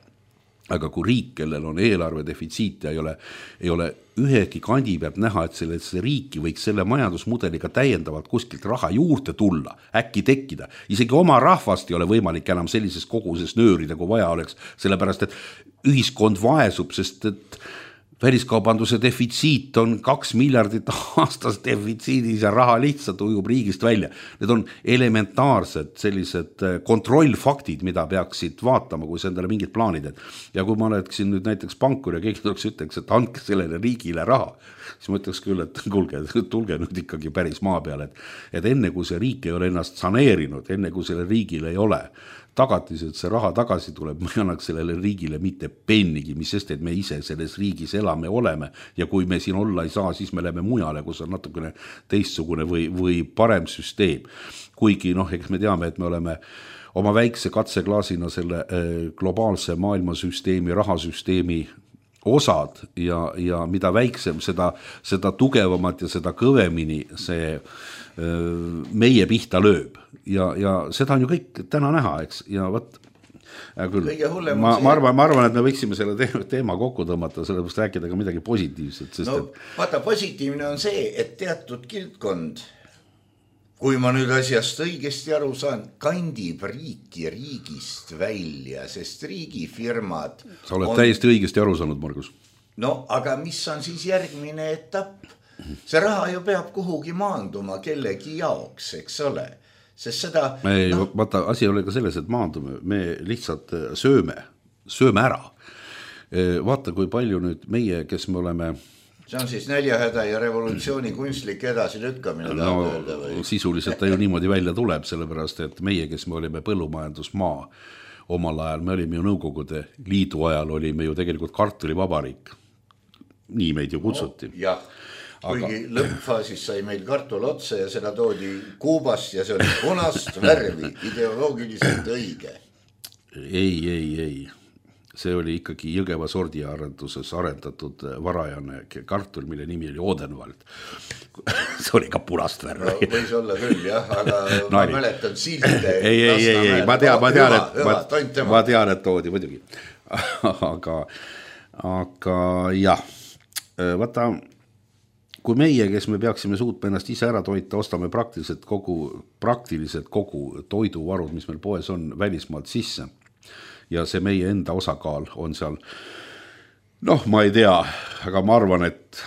aga kui riik, kellel on eelarve defitsiit ja ei ole ühegi kandi pealt näha, et sellesse riiki võiks selle majandusmudeliga täiendavalt kuskilt raha juurde tulla, äkki tekkida. Isegi oma rahvast ei ole võimalik enam sellises koguses nöörida, kui vaja oleks, sellepärast, et ühiskond vaesub, sest et väliskaubanduse defitsiit on 2 miljardit aastas defitsiidis ja raha lihtsalt ujub riigist välja. Need on elementaarsed sellised kontrollfaktid, mida peaksid vaatama, kui see endale mingid plaanid. Ja kui ma oleksin nüüd näiteks pankur ja keegi ütleks, et andke sellele riigile raha, siis ma ütleks küll, et tulge nüüd ikkagi päris maa peale, et enne kui see riik ei ole ennast saneerinud, enne kui selle riigil ei ole tagatis, et see raha tagasi tuleb, ma ei annaks sellele riigile mitte pennigi, mis sest, et me ise selles riigis elame oleme ja kui me siin olla ei saa, siis me läheme mujale, kus on natukene teistsugune või parem süsteem. Kuigi eks me teame, et me oleme oma väikse katseklaasina selle globaalse maailmasüsteemi, rahasüsteemi osad ja mida väiksem, seda tugevamat ja seda kõvemini see meie pihta lööb ja seda on ju kõik täna näha, eks, ja võt küll, ma arvan, et me võiksime selle teema kokku tõmmata, sellepärast rääkida ka midagi positiivset, sest
vaata, positiivne on see, et teatud kildkond, kui ma nüüd asjast õigesti aru saan, kandib riiki riigist välja, sest riigifirmad
sa oled täiesti õigesti aru saanud, Margus.
No, aga mis on siis järgmine etapp? See raha ju peab kuhugi maanduma kellegi jaoks, eks ole. Sest seda...
Vaata, asi ei ole ka selles, et maandume. Me lihtsalt sööme ära. Vaata, kui palju nüüd meie, kes me oleme...
See on siis näljahäda ja revolutsiooni kunstlik edasi lükkamine.
Sisuliselt ta ju niimoodi välja tuleb, sellepärast, et meie, kes me olime põllumajandusmaa omal ajal, me olime ju Nõukogude Liidu ajal, olime ju tegelikult kartulivabariik. Nii meid ju kutsuti.
Jah. Kuigi lõppfaasis sai meil kartul otsa ja seda toodi Kuubast ja see oli punast värvi, ideoloogiliselt õige.
Ei. See oli ikkagi Jõgeva sordiarenduses arendatud varajane kartul, mille nimi oli Odenwald. See oli ka punast värvi.
No, võis olla küll, jah, aga ma mäletan silte.
Ei, ma tean, et toodi muidugi. Aga jah, vaata, kui meie, kes me peaksime suutma ennast ise ära toita, ostame praktiliselt kogu toiduvarud, mis meil poes on, välismaalt sisse. Ja see meie enda osakaal on seal, ma ei tea, aga ma arvan, et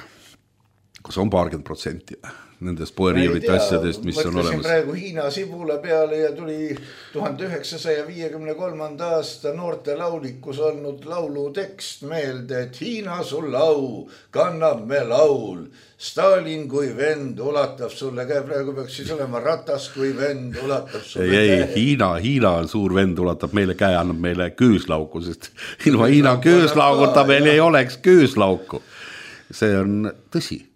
kas on 20% nendest poeriiulite asjadest, mis on olemas.
Mõtlesin praegu Hiina sibula peale ja tuli 1953. aasta noorte laulikus olnud laulu tekst meelde, et Hiina sul au, kannab me laul. Stalin kui vend ulatab sulle käe, praegu peaks siis olema Ratas kui vend ulatab sulle käe.
Hiina on suur vend, ulatab meile käe, annab meile küüslauku, sest ilma Hiina küüslauguta meil ei oleks küüslauku. See on tõsi.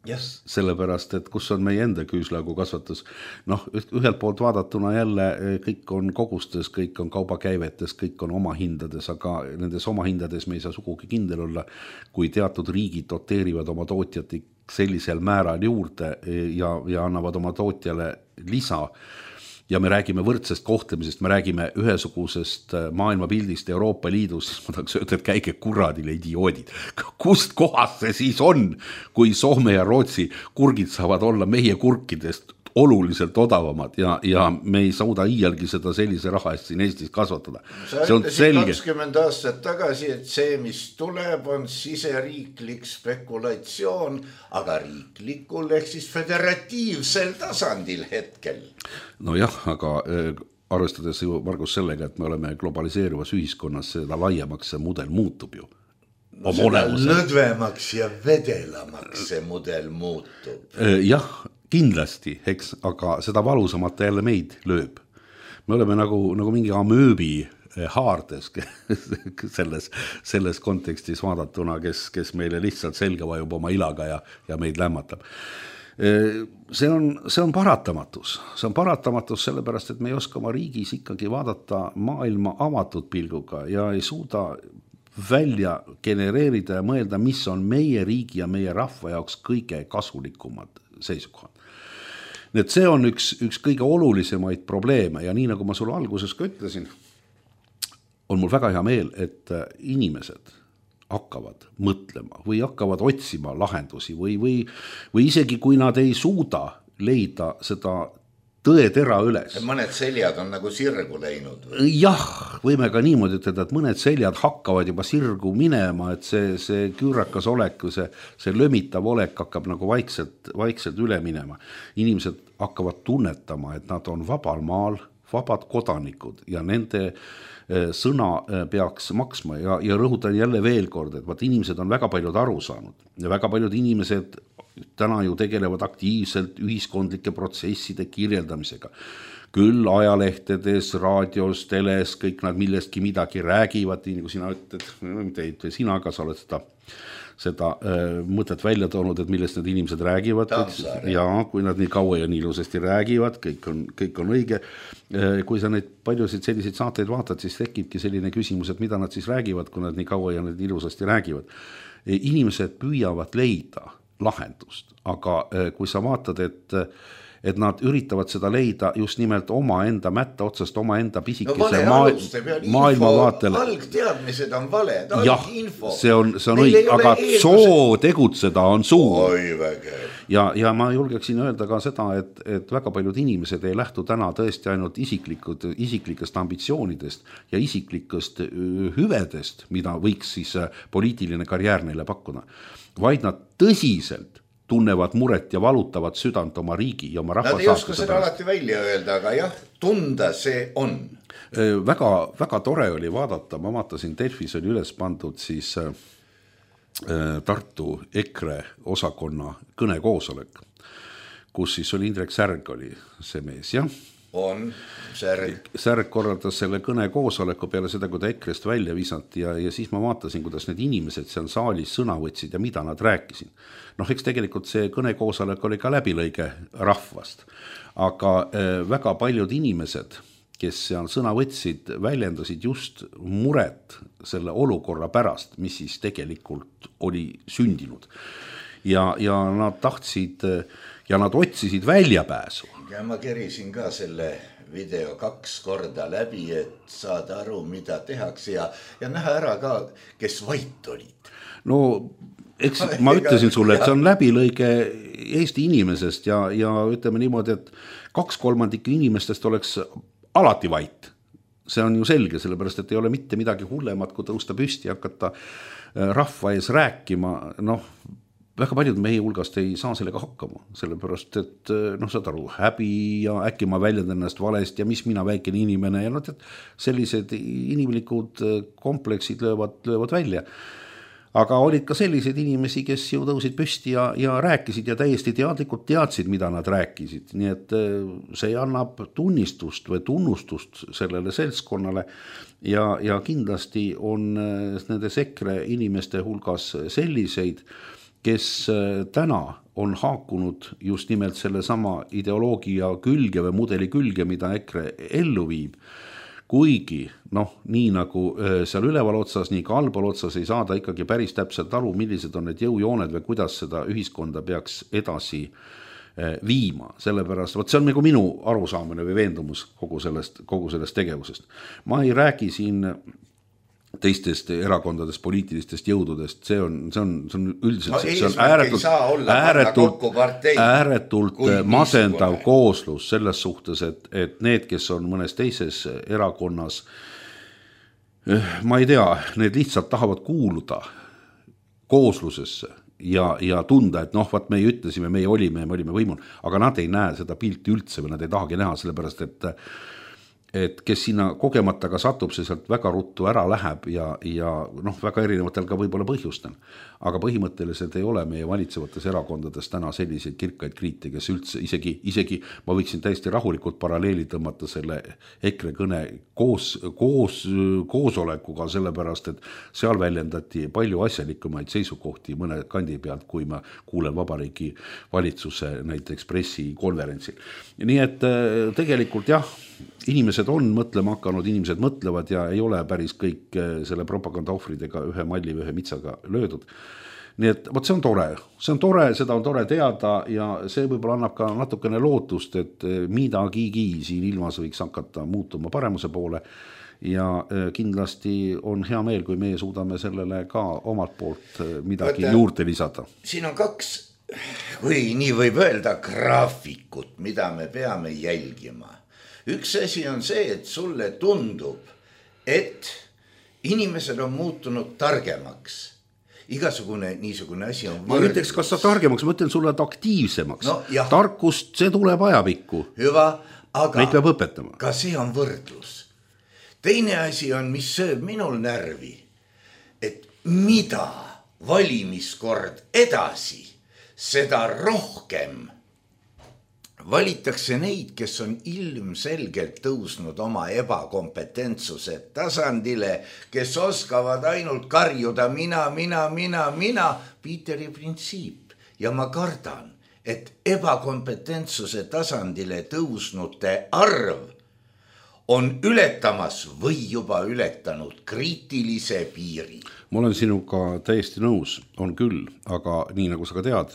Yes.
Sellepärast, et kus on meie enda küüslagu kasvatus. Noh, ühelt poolt vaadatuna jälle kõik on kogustes, kõik on kaubakäivetes, kõik on oma hindades, aga nendes oma hindades me ei saa sugugi kindel olla, kui teatud riigid doteerivad oma tootjat sellisel määral juurde ja annavad oma tootjale lisa. Ja me räägime võrdsest kohtlemisest, me räägime ühesugusest maailmapildist Euroopa Liidus, siis ma tahaks öelda, et käige kuradile idioodid. Kust kohast see siis on, kui Soome ja Rootsi kurgid saavad olla meie kurkidest oluliselt odavamad ja me ei sauda iialgi seda sellise raha eest siin Eestis kasvatada.
Sa ütlesid 20 aastat tagasi, et see, mis tuleb, on siseriiklik spekulatsioon, aga riiklikul ehk siis föderatiivsel tasandil hetkel.
No jah, aga arvestades ju Margus sellega, et me oleme globaliseeruvas ühiskonnas, seda laiemaks see mudel muutub ju.
No seda lõdvemaks ja vedelamaks see mudel muutub.
Jah, kindlasti, eks, aga seda valusamalt jälle meid lööb. Me oleme nagu mingi amööbi haardes selles kontekstis vaadatuna, kes meile lihtsalt selga vajub oma ilaga ja meid lämmatab. See on paratamatus. See on paratamatus sellepärast, et me ei oska oma riigis ikkagi vaadata maailma avatud pilguga ja ei suuda välja genereerida ja mõelda, mis on meie riigi ja meie rahva jaoks kõige kasulikumad seisukohad. Nii et see on üks kõige olulisemaid probleeme ja nii nagu ma sulle alguses ka ütlesin, on mul väga hea meel, et inimesed hakkavad mõtlema või hakkavad otsima lahendusi või isegi kui nad ei suuda leida seda tõetera üles.
Mõned seljad on nagu sirgu läinud.
Jah, võime ka niimoodi ütelda, et mõned seljad hakkavad juba sirgu minema, et see küürakas olek, see lömitav olek hakkab nagu vaikselt üle minema. Inimesed hakkavad tunnetama, et nad on vabal maal, vabad kodanikud ja nende sõna peaks maksma ja rõhutan jälle veel kord, et vaat inimesed on väga paljud aru saanud ja väga paljud inimesed täna ju tegelevad aktiivselt ühiskondlike protsesside kirjeldamisega. Küll ajalehtedes, raadios, teles, kõik nad millestki midagi räägivad, nii nagu sina ütled, sina ka sa oled seda mõtet välja toonud, et millest need inimesed räägivad. Ja kui nad nii kaua ja nii ilusasti räägivad, kõik on õige. Kui sa neid paljusid selliseid saateid vaatad, siis tekibki selline küsimus, et mida nad siis räägivad, kui nad nii kaua ja nii ilusasti räägivad. Inimesed püüavad leida lahendust, aga kui sa vaatad, et nad üritavad seda leida just nimelt oma enda mätta otsast, oma enda pisikese maailmavaatele.
Algteadmised on valed,
alginfo. See on õige, aga soo tegutseda on suur. Ja ma julgeksin öelda ka seda, et väga paljud inimesed ei lähtu täna tõesti ainult isiklikest ambitsioonidest ja isiklikest hüvedest, mida võiks siis poliitiline karjäär neile pakkuda, vaid nad tõsiselt tunnevad muret ja valutavad südant oma riigi ja oma rahva
saastuse. Nad ei oska seda alati välja öelda, aga jah, tunda see on.
Väga tore oli vaadata, ma vaatasin, Delfis oli üles pandud siis Tartu EKRE osakonna kõnekoosolek, kus siis oli Indrek Särg oli see mees, jah?
On,
Särg korraldas selle kõnekoosoleku peale seda, kui ta EKRE-st välja visati ja siis ma vaatasin, kuidas need inimesed seal saalis sõna võtsid ja mida nad rääkisid. Noh, eks tegelikult see kõnekoosolek oli ka läbilõige rahvast, aga väga paljud inimesed, kes seal sõna võtsid, väljendasid just muret selle olukorra pärast, mis siis tegelikult oli sündinud. Ja nad tahtsid ja nad otsisid väljapääsu.
Ja ma kerisin ka selle video 2 korda läbi, et saada aru, mida tehakse ja näha ära ka, kes vait olid.
No, eks ma ütlesin sulle, et see on läbilõige Eesti inimesest ja ütleme niimoodi, et 2/3 inimestest oleks alati vait. See on ju selge, sellepärast, et ei ole mitte midagi hullemat, kui tõusta püsti ja hakata rahva ees rääkima, väga paljud meie hulgast ei saa sellega hakkama, sellepärast, et saad aru, häbi ja äkki ma väljendan ennast valest ja mis mina väikene inimene ja sellised inimlikud kompleksid löövad välja. Aga olid ka sellised inimesi, kes ju tõusid püsti ja rääkisid ja täiesti teadlikult teadsid, mida nad rääkisid. Nii et see annab tunnistust või tunnustust sellele seltskonnale ja kindlasti on nendes EKRE inimeste hulgas selliseid, kes täna on haakunud just nimelt selle sama ideoloogia külge või mudeli külge, mida EKRE ellu viib, kuigi nii nagu seal üleval otsas, nii ka allpool otsas ei saada ikkagi päris täpselt aru, millised on need jõujooned või kuidas seda ühiskonda peaks edasi viima, sellepärast, see on nagu minu arusaamine või veendumus kogu sellest tegevusest. Ma ei räägi siin teistest erakondadest, poliitilistest jõududest, see on üldiselt see on ääretult masendav kooslus selles suhtes, et need, kes on mõnes teises erakonnas, ma ei tea, need lihtsalt tahavad kuuluda kooslusesse ja tunda, et vaat me ütlesime, me olime võimul, aga nad ei näe seda pilti üldse või nad ei tahagi näha, sellepärast et kes sinna kogemata ka satub, see sealt väga ruttu ära läheb ja väga erinevatel ka võib-olla põhjustel. Aga põhimõtteliselt ei ole meie valitsevates erakondades täna selliseid kirkaid kriite, kes üldse isegi ma võiksin täiesti rahulikult paralleeli tõmmata selle EKRE kõne koosolekuga, sellepärast, et seal väljendati palju asjalikumaid seisukohti mõne kandi pealt, kui ma kuulen Vabariigi valitsuse näiteks pressikonverentsil. Nii et tegelikult jah, inimesed on mõtlema hakanud, inimesed mõtlevad ja ei ole päris kõik selle propaganda ohvridega ühe malli või ühe mitsaga löödud. Nii et see on tore, seda on tore teada ja see võib-olla annab ka natukene lootust, et midagigi siin ilmas võiks hakata muutuma paremuse poole ja kindlasti on hea meel, kui meie suudame sellele ka omalt poolt midagi juurde lisada.
Siin on 2, kui nii võib öelda, graafikut, mida me peame jälgima. Üks asi on see, et sulle tundub, et inimesed on muutunud targemaks. Igasugune niisugune asi on
võrdlus. Ma ütleks, kas sa targemaks, ma ütlen sulle aktiivsemaks. Tarkust, see tuleb ajapikku.
Hüva, aga
neid peab õpetama.
Ka see on võrdlus. Teine asi on, mis sööb minul närvi, et mida valimiskord edasi, seda rohkem valitakse neid, kes on ilmselgelt tõusnud oma ebakompetentsuse tasandile, kes oskavad ainult karjuda mina, Piiteri printsiip. Ja ma kardan, et ebakompetentsuse tasandile tõusnute arv on ületamas või juba ületanud kriitilise piiri.
Ma olen sinuga täiesti nõus, on küll, aga nii nagu sa ka tead,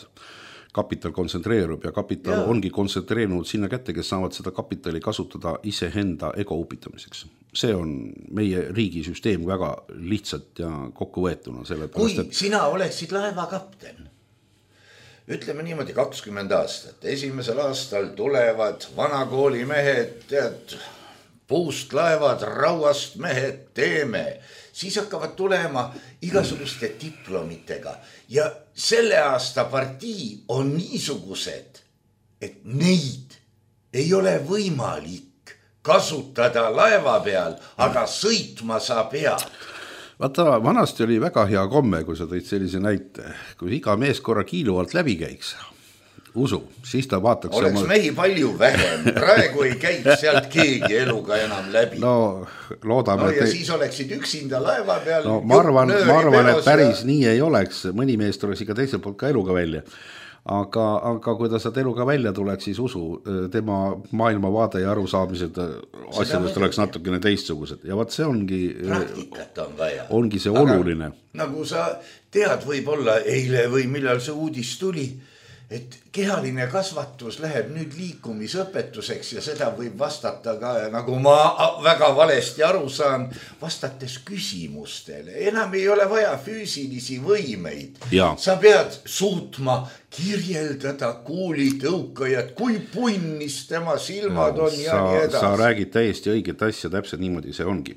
kapital kontsentreerub ja kapital ongi kontsentreerunud sinna kätte, kes saavad seda kapitali kasutada iseenda ego upitamiseks. See on meie riigisüsteem väga lihtsalt ja kokkuvõetuna.
Kui sina oleksid laevakapten, ütleme niimoodi 20 aastat, esimesel aastal tulevad vanakooli mehed, puust laevad, rauast mehed, teeme, siis hakkavad tulema igasuguste diplomitega ja selle aasta partii on niisugused, et neid ei ole võimalik kasutada laeva peal, aga sõitma sa pead.
Vaata, vanasti oli väga hea komme, kui sa tõid sellise näite, kui iga mees korra kiilu alt läbi käiks, usu, siis ta vaataks
oleks mehi palju vähem, praegu ei käiks sealt keegi eluga enam läbi.
No loodame.
Ja siis oleksid üksinda laeva peal.
No ma arvan, et päris nii ei oleks, mõni mees tuleks ikka teiselt poolt ka eluga välja. Aga kui ta saad eluga välja tuleks, siis usu, tema maailmavaade ja arusaamised asjadest oleks natukene teistsugused. Ja vaat see ongi,
praktikat on vaja.
Ongi see oluline.
Nagu sa tead, võib-olla eile või millal see uudis tuli, et kehaline kasvatus läheb nüüd liikumisõpetuseks ja seda võib vastata ka, nagu ma väga valesti aru saan, vastates küsimustele. Enam ei ole vaja füüsilisi võimeid.
Ja.
Sa pead suutma kirjeldada kuulitõukajat, kui punnis tema silmad on ja nii edasi.
Sa räägid täiesti õiget asja, täpselt niimoodi see ongi.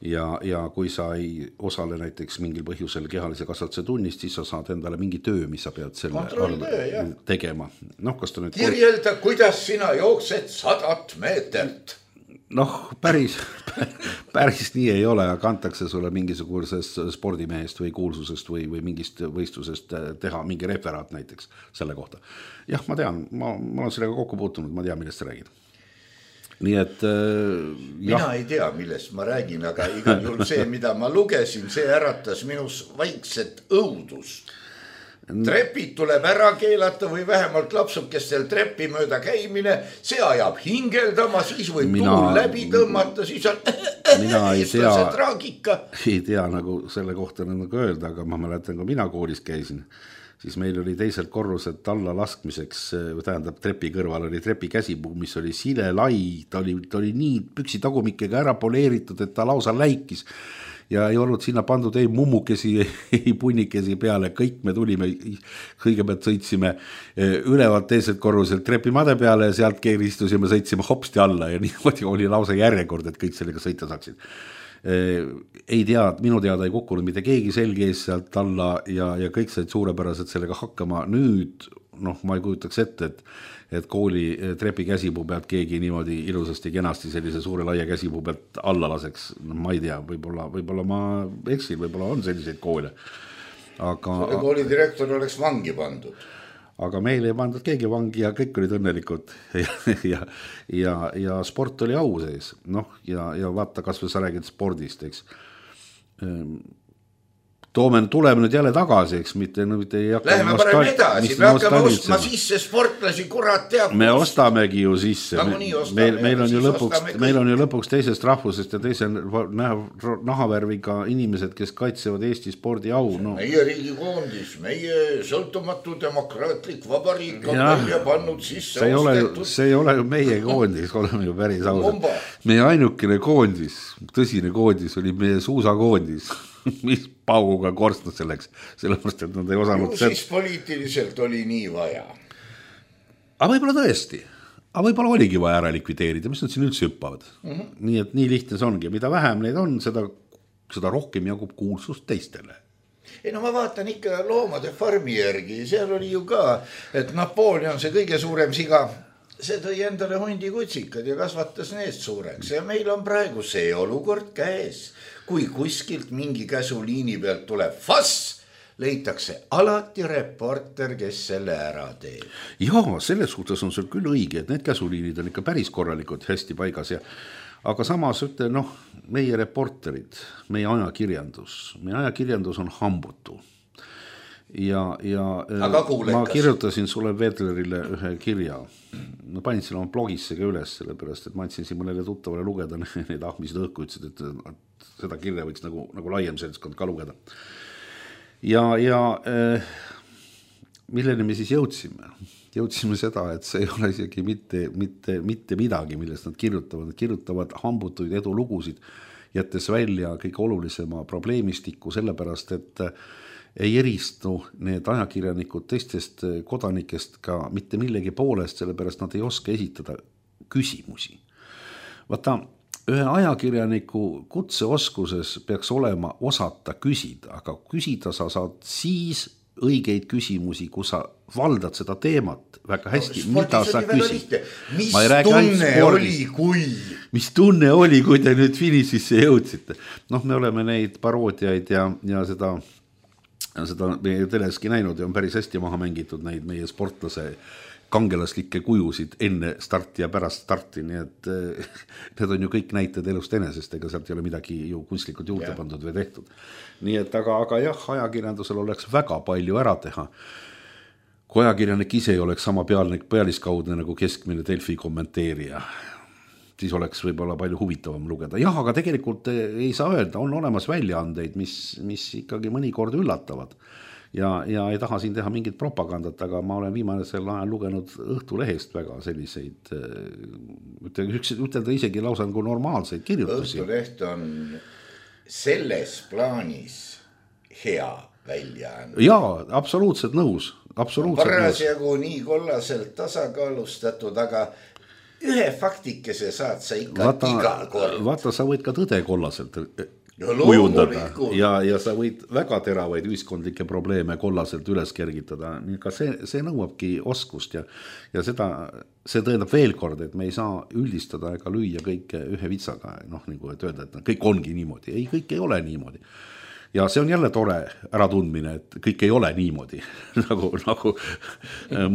Ja kui sa ei osale näiteks mingil põhjusel kehalise kasvatuse tunnist, siis sa saad endale mingi töö, mis sa pead selle tegema. Kas ta nüüd
kirjelda, kuidas sina jooksed 100 meetrit.
Päris nii ei ole, aga antakse sulle mingisugusest spordimehest või kuulsusest või mingist võistlusest teha mingi referaat näiteks selle kohta. Jah, ma tean, ma olen sellega kokku puutunud, ma tean, millest sa räägid. Nii et
mina ei tea, millest ma räägin, aga igal juhul see, mida ma lugesin, see äratas minus vaikset õudust. Trepid tuleb ära keelata või vähemalt lapsukestel trepi mööda käimine, see ajab hingeldama, siis võib tuul läbi tõmmata, siis on eestlase traagika.
Ei tea nagu selle kohta nagu öelda, aga ma mäletan, kui mina koolis käisin, siis meil oli teiselt korruselt alla laskmiseks, tähendab trepi kõrval oli trepi käsipuu, mis oli sile lai, ta oli nii püksi tagumikega ära poleeritud, et ta lausa läikis. Ja ei olnud sinna pandud ei mummukesi, ei punnikesi peale, kõik me tulime, kõigepealt sõitsime ülevalt teiselt korruselt trepimade peale ja sealt keeristusime, sõitsime hopsti alla ja niimoodi oli lausa järjekord, et kõik sellega sõita saaksid. Ei tea, minu teada ei kukkunud mitte keegi selge ees sealt alla ja kõik said suurepäraselt sellega hakkama. Nüüd, ma ei kujutaks ette, et kooli trepi käsipuu pealt keegi niimoodi ilusasti kenasti sellise suure laia käsipuu pealt alla laseks. Ma ei tea, võib-olla ma eksin, võib-olla on selliseid koole.
Selle kooli direktor oleks vangi pandud.
Aga meil ei pandud keegi vangi ja kõik olid õnnelikud ja sport oli au sees. Ja vaata, kas või sa räägid spordist, eks. Tuleme nüüd jälle tagasi, eks mitte ei hakka.
Läheme parem edasi, me hakkame ostma sisse sportlasi, kurat teab.
Me ostamegi ju sisse. Meil on ju lõpuks teisest rahvusest ja teise nahavärviga inimesed, kes kaitsevad Eesti spordi au.
Meie riigikoondis, meie sõltumatu demokraatlik vabariik on välja pannud sisse ostetud.
See ei ole ju meie koondis, oleme ju päris ausad. Meie ainukene koondis, tõsine koondis oli meie suusakoondis, mis pauguga korstnud selleks, sellepärast, et nad ei osanud...
Siis poliitiliselt oli nii vaja.
Aga võib-olla tõesti. Aga võib-olla oligi vaja ära likvideerida, mis nad siin üldse hüppavad. Nii et nii lihtne see ongi. Mida vähem neid on, seda rohkem jagub kuulsust teistele.
Ma vaatan ikka loomade farmi järgi. Seal oli ju ka, et Napoleon, see kõige suurem siga, see tõi endale hundi kutsikad ja kasvatas neest suureks. Ja meil on praegu see olukord käes. Kui kuskilt mingi käsuliini pealt tuleb fass, leitakse alati reporter, kes selle ära teeb.
Jaa, selles suhtes on sul küll õige, et need käsuliinid on ikka päris korralikud, hästi paigas. Aga samas ütle, meie reporterid, meie ajakirjandus on hambutu. Ja ma kirjutasin sulle Vedlerile ühe kirja. Ma panin selle oma blogisse ka üles, sellepärast, et ma andsin siin mõnele tuttavale lugeda need ahmised õhku, ütlesid, et seda kirja võiks nagu laiem seltskond ka lugeda. Ja milleni me siis jõudsime? Jõudsime seda, et see ei ole isegi mitte midagi, millest nad kirjutavad. Nad kirjutavad hambutuid edulugusid, jättes välja kõige olulisema probleemistiku, sellepärast, et ei eristu need ajakirjanikud teistest kodanikest ka mitte millegi poolest, sellepärast nad ei oska esitada küsimusi. Vaata, ühe ajakirjaniku kutseoskuses peaks olema osata küsida, aga küsida sa saad siis õigeid küsimusi, kui sa valdad seda teemat väga hästi, mida sa küsid. Mis tunne oli, kui te nüüd finišisse jõudsite? Me oleme neid paroodiaid ja seda meie teleski näinud ja on päris hästi maha mängitud neid meie sportlase kangelaslikke kujusid enne starti ja pärast starti, nii et need on ju kõik näited elust enesest, ega sealt ei ole midagi ju kunstlikult juurde pandud või tehtud. Nii et aga jah, ajakirjandusel oleks väga palju ära teha. Kui ajakirjanik ise ei oleks sama pealiskaudne nagu keskmine Delfi kommenteerija, siis oleks võib-olla palju huvitavam lugeda. Jah, aga tegelikult ei saa öelda, on olemas väljaandeid, mis ikkagi mõnikord üllatavad. Ja ei taha siin teha mingit propagandat, aga ma olen viimasel ajal lugenud Õhtulehest väga selliseid, ütelda isegi lausa nagu normaalseid kirjutusi.
Õhtuleht on selles plaanis hea väljaanne.
Jaa, absoluutselt nõus.
Parasjagu nii kollaselt tasakaalustatud, aga ühe faktikese saad sa ikka igal kord.
Vaata, sa võid ka tõde kollaselt kujundada ja sa võid väga teravaid ühiskondlikke probleeme kollaselt üles kergitada. Ka see nõuabki oskust ja see tõendab veel kord, et me ei saa üldistada ega lüüa kõike ühe vitsaga, nagu et öelda, et kõik ongi niimoodi. Ei, kõik ei ole niimoodi. Ja see on jälle tore äratundmine, et kõik ei ole niimoodi, nagu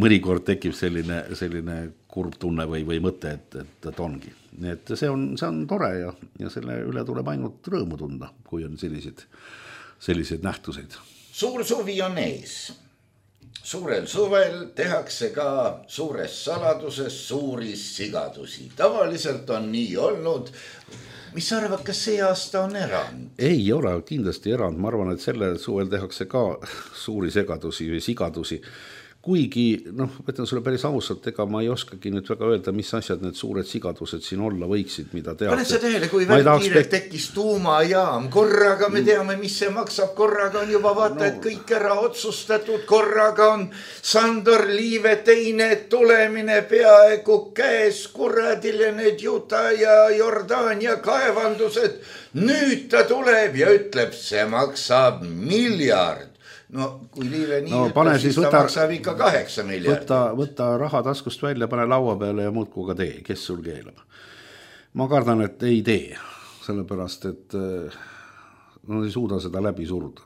mõnikord tekib selline kurb tunne või mõte, et ongi. Nii et see on tore ja selle üle tuleb ainult rõõmu tunda, kui on sellised nähtuseid.
Suur suvi on ees. Suurel suvel tehakse ka suures saladuses suuri sigadusi. Tavaliselt on nii olnud. Mis sa arvad, kas see aasta on erand?
Ei ole kindlasti erand. Ma arvan, et selle suvel tehakse ka suuri segadusi või sigadusi. Kuigi, võtan sulle päris ausalt, ega ma ei oskagi nüüd väga öelda, mis asjad need suured sigadused siin olla võiksid, mida tehakse.
Paned sa tähele, kui kiirelt tekkis tuumajaam, korraga me teame, mis see maksab, korraga on juba vaata, et kõik ära otsustatud, korraga on Sandor Liive teine tulemine peaaegu käes, kuradile need Juta ja Jordaania kaevandused. Nüüd ta tuleb ja ütleb, see maksab miljard. No kui Liive nii ütleb, siis ta maksab ikka 8 miljardit.
Võta raha taskust välja, pane laua peale ja muudku ka tee, kes sul keelab. Ma kardan, et ei tee, sellepärast, et ei suuda seda läbi suruda.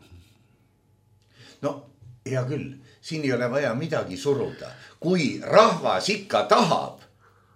No, hea küll, siin ei ole vaja midagi suruda. Kui rahvas ikka tahab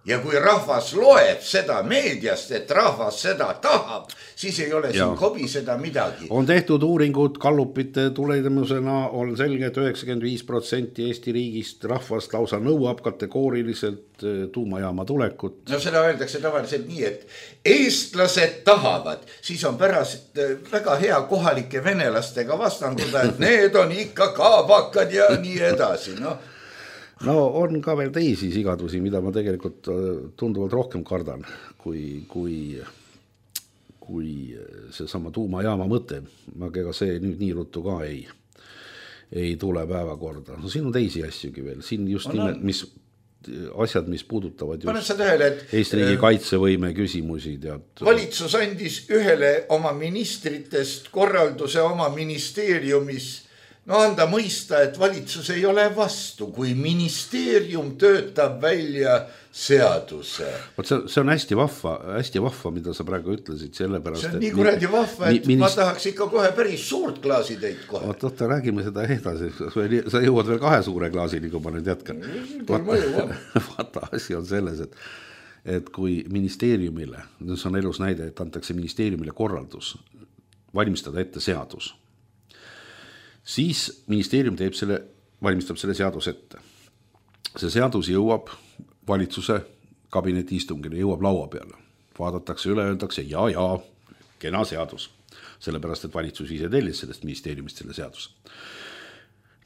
ja kui rahvas loeb seda meediast, et rahvas seda tahab, siis ei ole siin kobiseda midagi.
On tehtud uuringud Gallupite tulemusena, on selge, et 95% Eesti riigist rahvast lausa nõuab kategooriliselt tuumajaama tulekut.
No seda öeldakse tavaliselt nii, et eestlased tahavad, siis on pärast väga hea kohalike venelastega vastanduda, et need on ikka kaabakad ja nii edasi,
No on ka veel teisi sigadusi, mida ma tegelikult tunduvalt rohkem kardan, kui see sama tuumajaama mõte. Aga see nüüd nii ruttu ka ei tule päevakorda. No siin on teisi asjugi veel. Siin just nimelt mis puudutavad just Eesti riigi kaitsevõime küsimusi.
Valitsus andis ühele oma ministritest korralduse oma ministeeriumis anda mõista, et valitsus ei ole vastu, kui ministeerium töötab välja seaduse.
See on hästi vahva, mida sa praegu ütlesid, sellepärast.
See on nii kuradi vahva, et ma tahaks ikka kohe päris suurt klaasi teid kohe.
Oota, räägime seda edasi. Sa jõuad veel 2 suure klaasini, kui ma nüüd jätkan. Vaata, asi on selles, et kui ministeeriumile, see on elus näide, et antakse ministeeriumile korraldus valmistada ette seadus, siis ministeerium valmistab selle seadus ette. See seadus jõuab valitsuse kabineti istungile, jõuab laua peale. Vaadatakse üle, öeldakse ja, kena seadus. Sellepärast, et valitsus ise tellis sellest ministeeriumist selle seadus.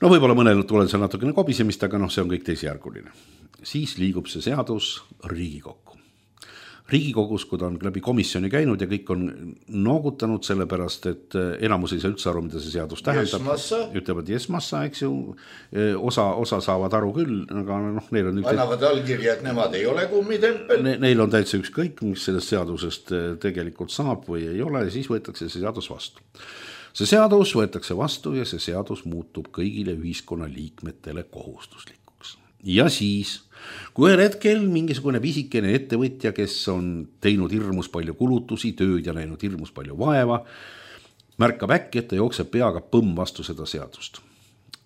No võib-olla mõnel tuleb seal natukene kobisemist, aga see on kõik teisejärguline. Siis liigub see seadus Riigikokku. Riigikogus, kui ta on läbi komisjoni käinud ja kõik on noogutanud sellepärast, et enamus ei saa üldse aru, mida see seadus tähendab. Ütlevad jesmassa, eks ju, osa saavad aru küll, aga neil on
annavad allkirja, et nemad ei ole kummitempel.
Neil on täitsa ükskõik, mis sellest seadusest tegelikult saab või ei ole, ja siis võetakse see seadus vastu. See seadus võetakse vastu ja see seadus muutub kõigile ühiskonna liikmetele kohustuslikuks. Ja siis kui ühel hetkel mingisugune pisikene ettevõtja, kes on teinud hirmus palju kulutusi, tööd ja näinud hirmus palju vaeva, märkab äkki, et ta jookseb peaga põmm vastu seda seadust.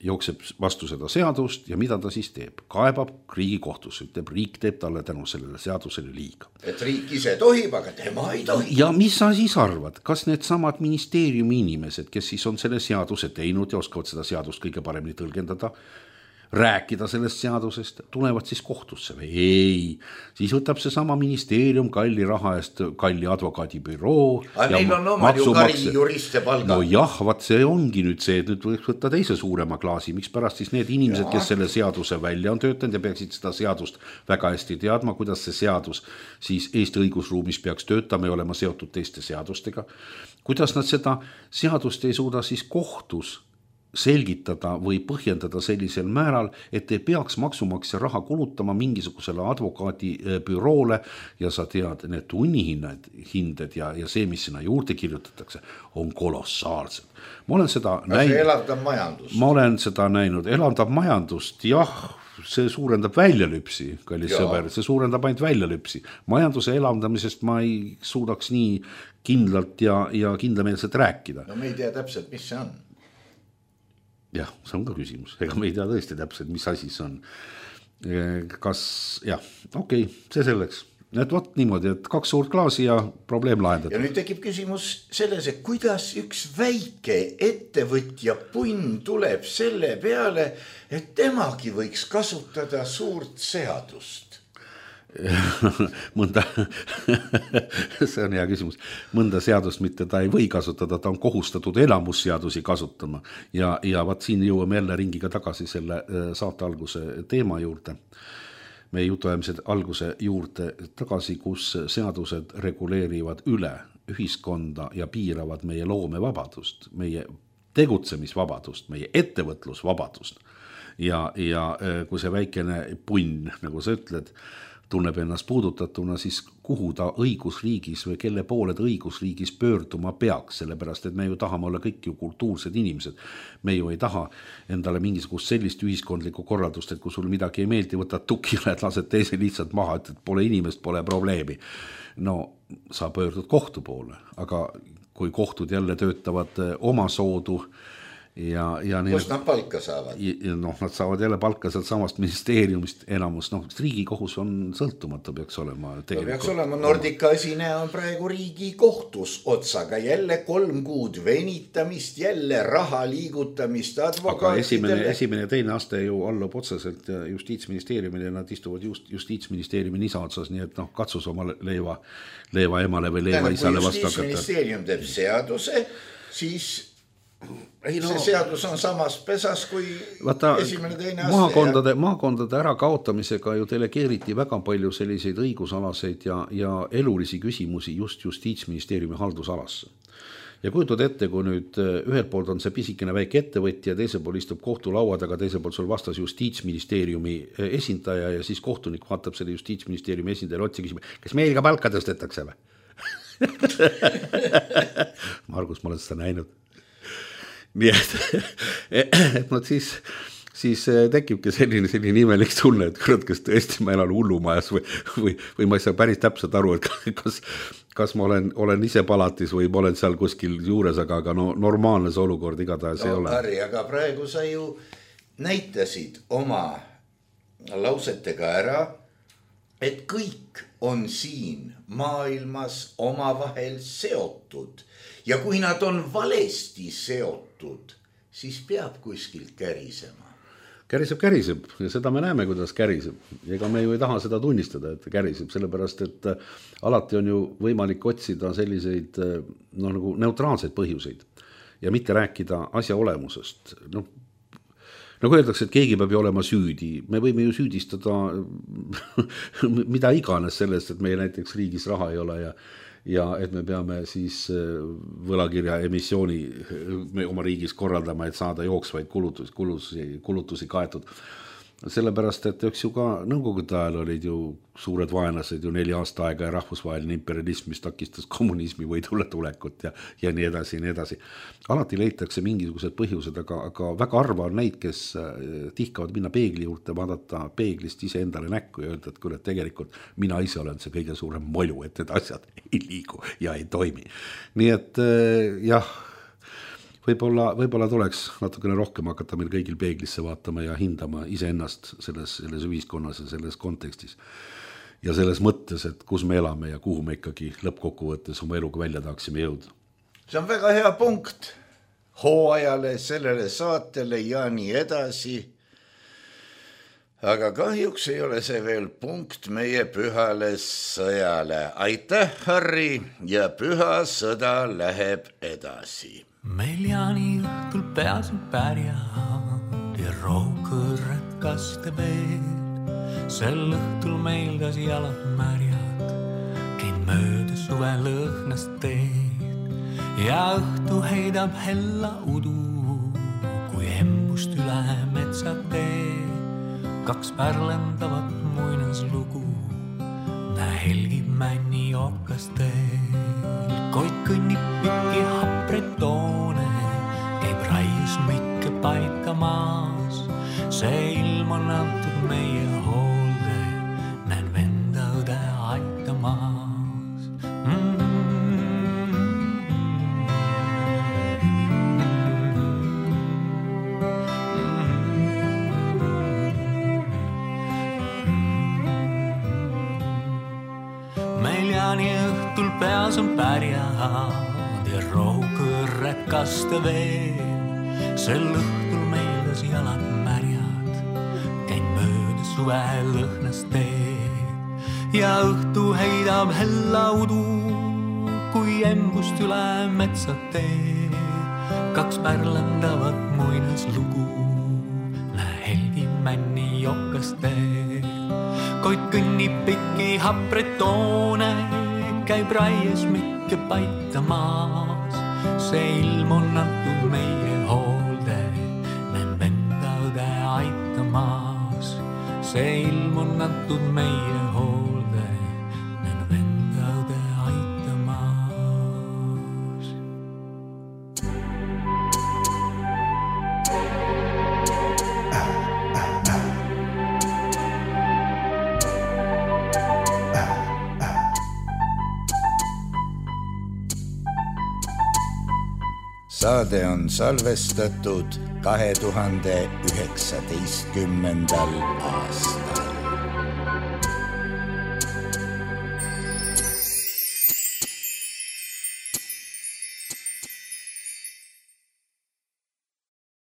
Jookseb vastu seda seadust ja mida ta siis teeb? Kaebab Riigikohtusse, ütleb, riik teeb talle tänu sellele seadusele liiga.
Et riik ise tohib, aga tema ei tohi.
Ja mis sa siis arvad? Kas need samad ministeeriumi inimesed, kes siis on selle seaduse teinud ja oskavad seda seadust kõige paremini tõlgendada, rääkida sellest seadusest, tulevad siis kohtusse või ei. Siis võtab see sama ministeerium kalli raha eest kalli advokaadibüroo.
Aga neil on omad ju kari juriste palga.
No jah, vaat see ongi nüüd see, et nüüd võiks võtta teise suurema klaasi. Miks pärast siis need inimesed, kes selle seaduse välja on töötanud ja peaksid seda seadust väga hästi teadma, kuidas see seadus siis Eesti õigusruumis peaks töötama ja olema seotud teiste seadustega. Kuidas nad seda seadust ei suuda siis kohtus selgitada või põhjendada sellisel määral, et ei peaks maksumaksja raha kulutama mingisugusele advokaadibüroole ja sa tead, need tunnihinded ja see, mis sinna juurde kirjutatakse, on kolossaalsed. Ma olen seda näinud.
See elavdab majandust.
Ma olen seda näinud. Elavdab majandust, jah, see suurendab väljalüpsi, kallis sõber, see suurendab ainult väljalüpsi. Majanduse elavdamisest ma ei suudaks nii kindlalt ja kindlameelselt rääkida.
No me ei tea täpselt, mis see on.
Jah, see on ka küsimus. Ega me ei tea tõesti täpselt, mis asi see on. Kas, jah, okei, see selleks. et vot niimoodi, et 2 suurt klaasi ja probleem lahendatud.
Ja nüüd tekib küsimus selles, et kuidas üks väike ettevõtja punn tuleb selle peale, et temagi võiks kasutada suurt seadust.
Mõnda, see on hea küsimus, mõnda seadust mitte ta ei või kasutada, ta on kohustatud enamusseadusi kasutama ja vaat siin jõuame jälle ringiga tagasi selle saate alguse teema juurde. Meie jutuajamise alguse juurde tagasi, kus seadused reguleerivad üle ühiskonda ja piiravad meie loomevabadust, meie tegutsemisvabadust, meie ettevõtlusvabadust. Ja kui see väikene punn, nagu sa ütled, tunneb ennast puudutatuna, siis kuhu ta õigusriigis või kelle poole ta õigusriigis pöörduma peaks, sellepärast, et me ju tahame olla kõik ju kultuursed inimesed. Me ju ei taha endale mingisugust sellist ühiskondlikku korraldust, et kui sul midagi ei meeldi, võtad tukile, et lased teise lihtsalt maha, et pole inimest, pole probleemi. No sa pöördud kohtu poole, aga kui kohtud jälle töötavad oma soodu,
Kust nad palka saavad?
Nad saavad jälle palka sealt samast ministeeriumist enamus. Riigikohus on sõltumatu, peaks olema.
Peaks olema. Nordica esineja on praegu riigi kohtus otsaga. Jälle 3 kuud venitamist, jälle raha liigutamist advokaatidele.
Aga esimene ja teine aste ju allub otseselt Justiitsministeeriumile ja nad istuvad Justiitsministeeriumi nisa otsas, nii et katsus oma leiva emale või leiva isale vastu hakata.
Kui Justiitsministeerium teeb seaduse, siis see seadus on samas pesas kui esimene teine aste.
Maakondade ära kaotamisega ju delegeeriti väga palju selliseid õigusalaseid ja elulisi küsimusi just Justiitsministeeriumi haldusalasse. Ja kujutad ette, kui nüüd ühelt poolt on see pisikene väike ettevõtja, teisel pool istub kohtulauad, aga teisel pool sul vastas Justiitsministeeriumi esindaja ja siis kohtunik vaatab selle Justiitsministeeriumi esindaja otsa küsima, kas meil ka palka tõstetakse või? Margus, ma olen seda näinud. Nii et siis tekibki selline imelik tunne, et kurat, kas tõesti ma elan hullumajas või ma ei saa päris täpselt aru, et kas ma olen ise palatis või ma olen seal kuskil juures, aga normaalne see olukord igatahes ei ole.
Harri, aga praegu sa ju näitasid oma lausetega ära, et kõik on siin maailmas omavahel seotud ja kui nad on valesti seotud, siis peab kuskilt kärisema.
Käriseb ja seda me näeme, kuidas käriseb. Ega me ju ei taha seda tunnistada, et käriseb, sellepärast, et alati on ju võimalik otsida selliseid nagu neutraalseid põhjuseid ja mitte rääkida asja olemusest. Nagu öeldakse, et keegi peab ju olema süüdi. Me võime ju süüdistada mida iganes sellest, et meie näiteks riigis raha ei ole ja et me peame siis võlakirja emissiooni oma riigis korraldama, et saada jooksvaid kulutusi kaetud. Sellepärast, et üks ju ka nõukogude ajal olid ju suured vaenlased ju 4 aasta aega ja rahvusvaheline imperialism, mis takistas kommunismi võidule tulekut ja nii edasi, nii edasi. Alati leitakse mingisugused põhjused, aga väga harva on neid, kes tihkavad minna peegli juurde, vaadata peeglist ise endale näkku ja öelda, et kuule, tegelikult mina ise olen see kõige suurem molju, et need asjad ei liigu ja ei toimi. Nii et jah, võib-olla tuleks natukene rohkem hakata meil kõigil peeglisse vaatama ja hindama iseennast selles ühiskonnas ja selles kontekstis. Ja selles mõttes, et kus me elame ja kuhu me ikkagi lõppkokkuvõttes oma eluga välja tahaksime jõuda.
See on väga hea punkt hooajale, sellele saatele ja nii edasi. Aga kahjuks ei ole see veel punkt meie pühale sõjale. Aitäh, Harri, ja püha sõda läheb edasi.
Meil jaaniõhtul peasid pärjad ja rohkõrred kaste veel. Sel õhtul meil kas jalad märjad, käin mööda suve lõhnast teed ja õhtu heidab hella udu, kui embust üle metsa tee. 2 pärlendavat muinaslugu, näe helgib männi okasteel. Koit kõnnib pikki hapretoone, käib raius mikke paika maas. See ilm on antud meie hoolde, näen venda õde aitamaas. peas on pärjad ja rohukõrred kaste veel. Sel õhtul meeldas jalad märjad, käin mööda suve lõhnas teed ja õhtu heidab hella udu, kui embust üle metsad teed. Kaks pärlandavat muinaslugu, näe helgimänni jokaste. Koit kõnnib pikki hapretoone, käib raies mikke paitamas. See ilm on antud meie hoolde, näen venda õde aitamas. See ilm on antud meie hoolde, näen venda õde aitamas.
Saade on salvestatud 2019. aastal.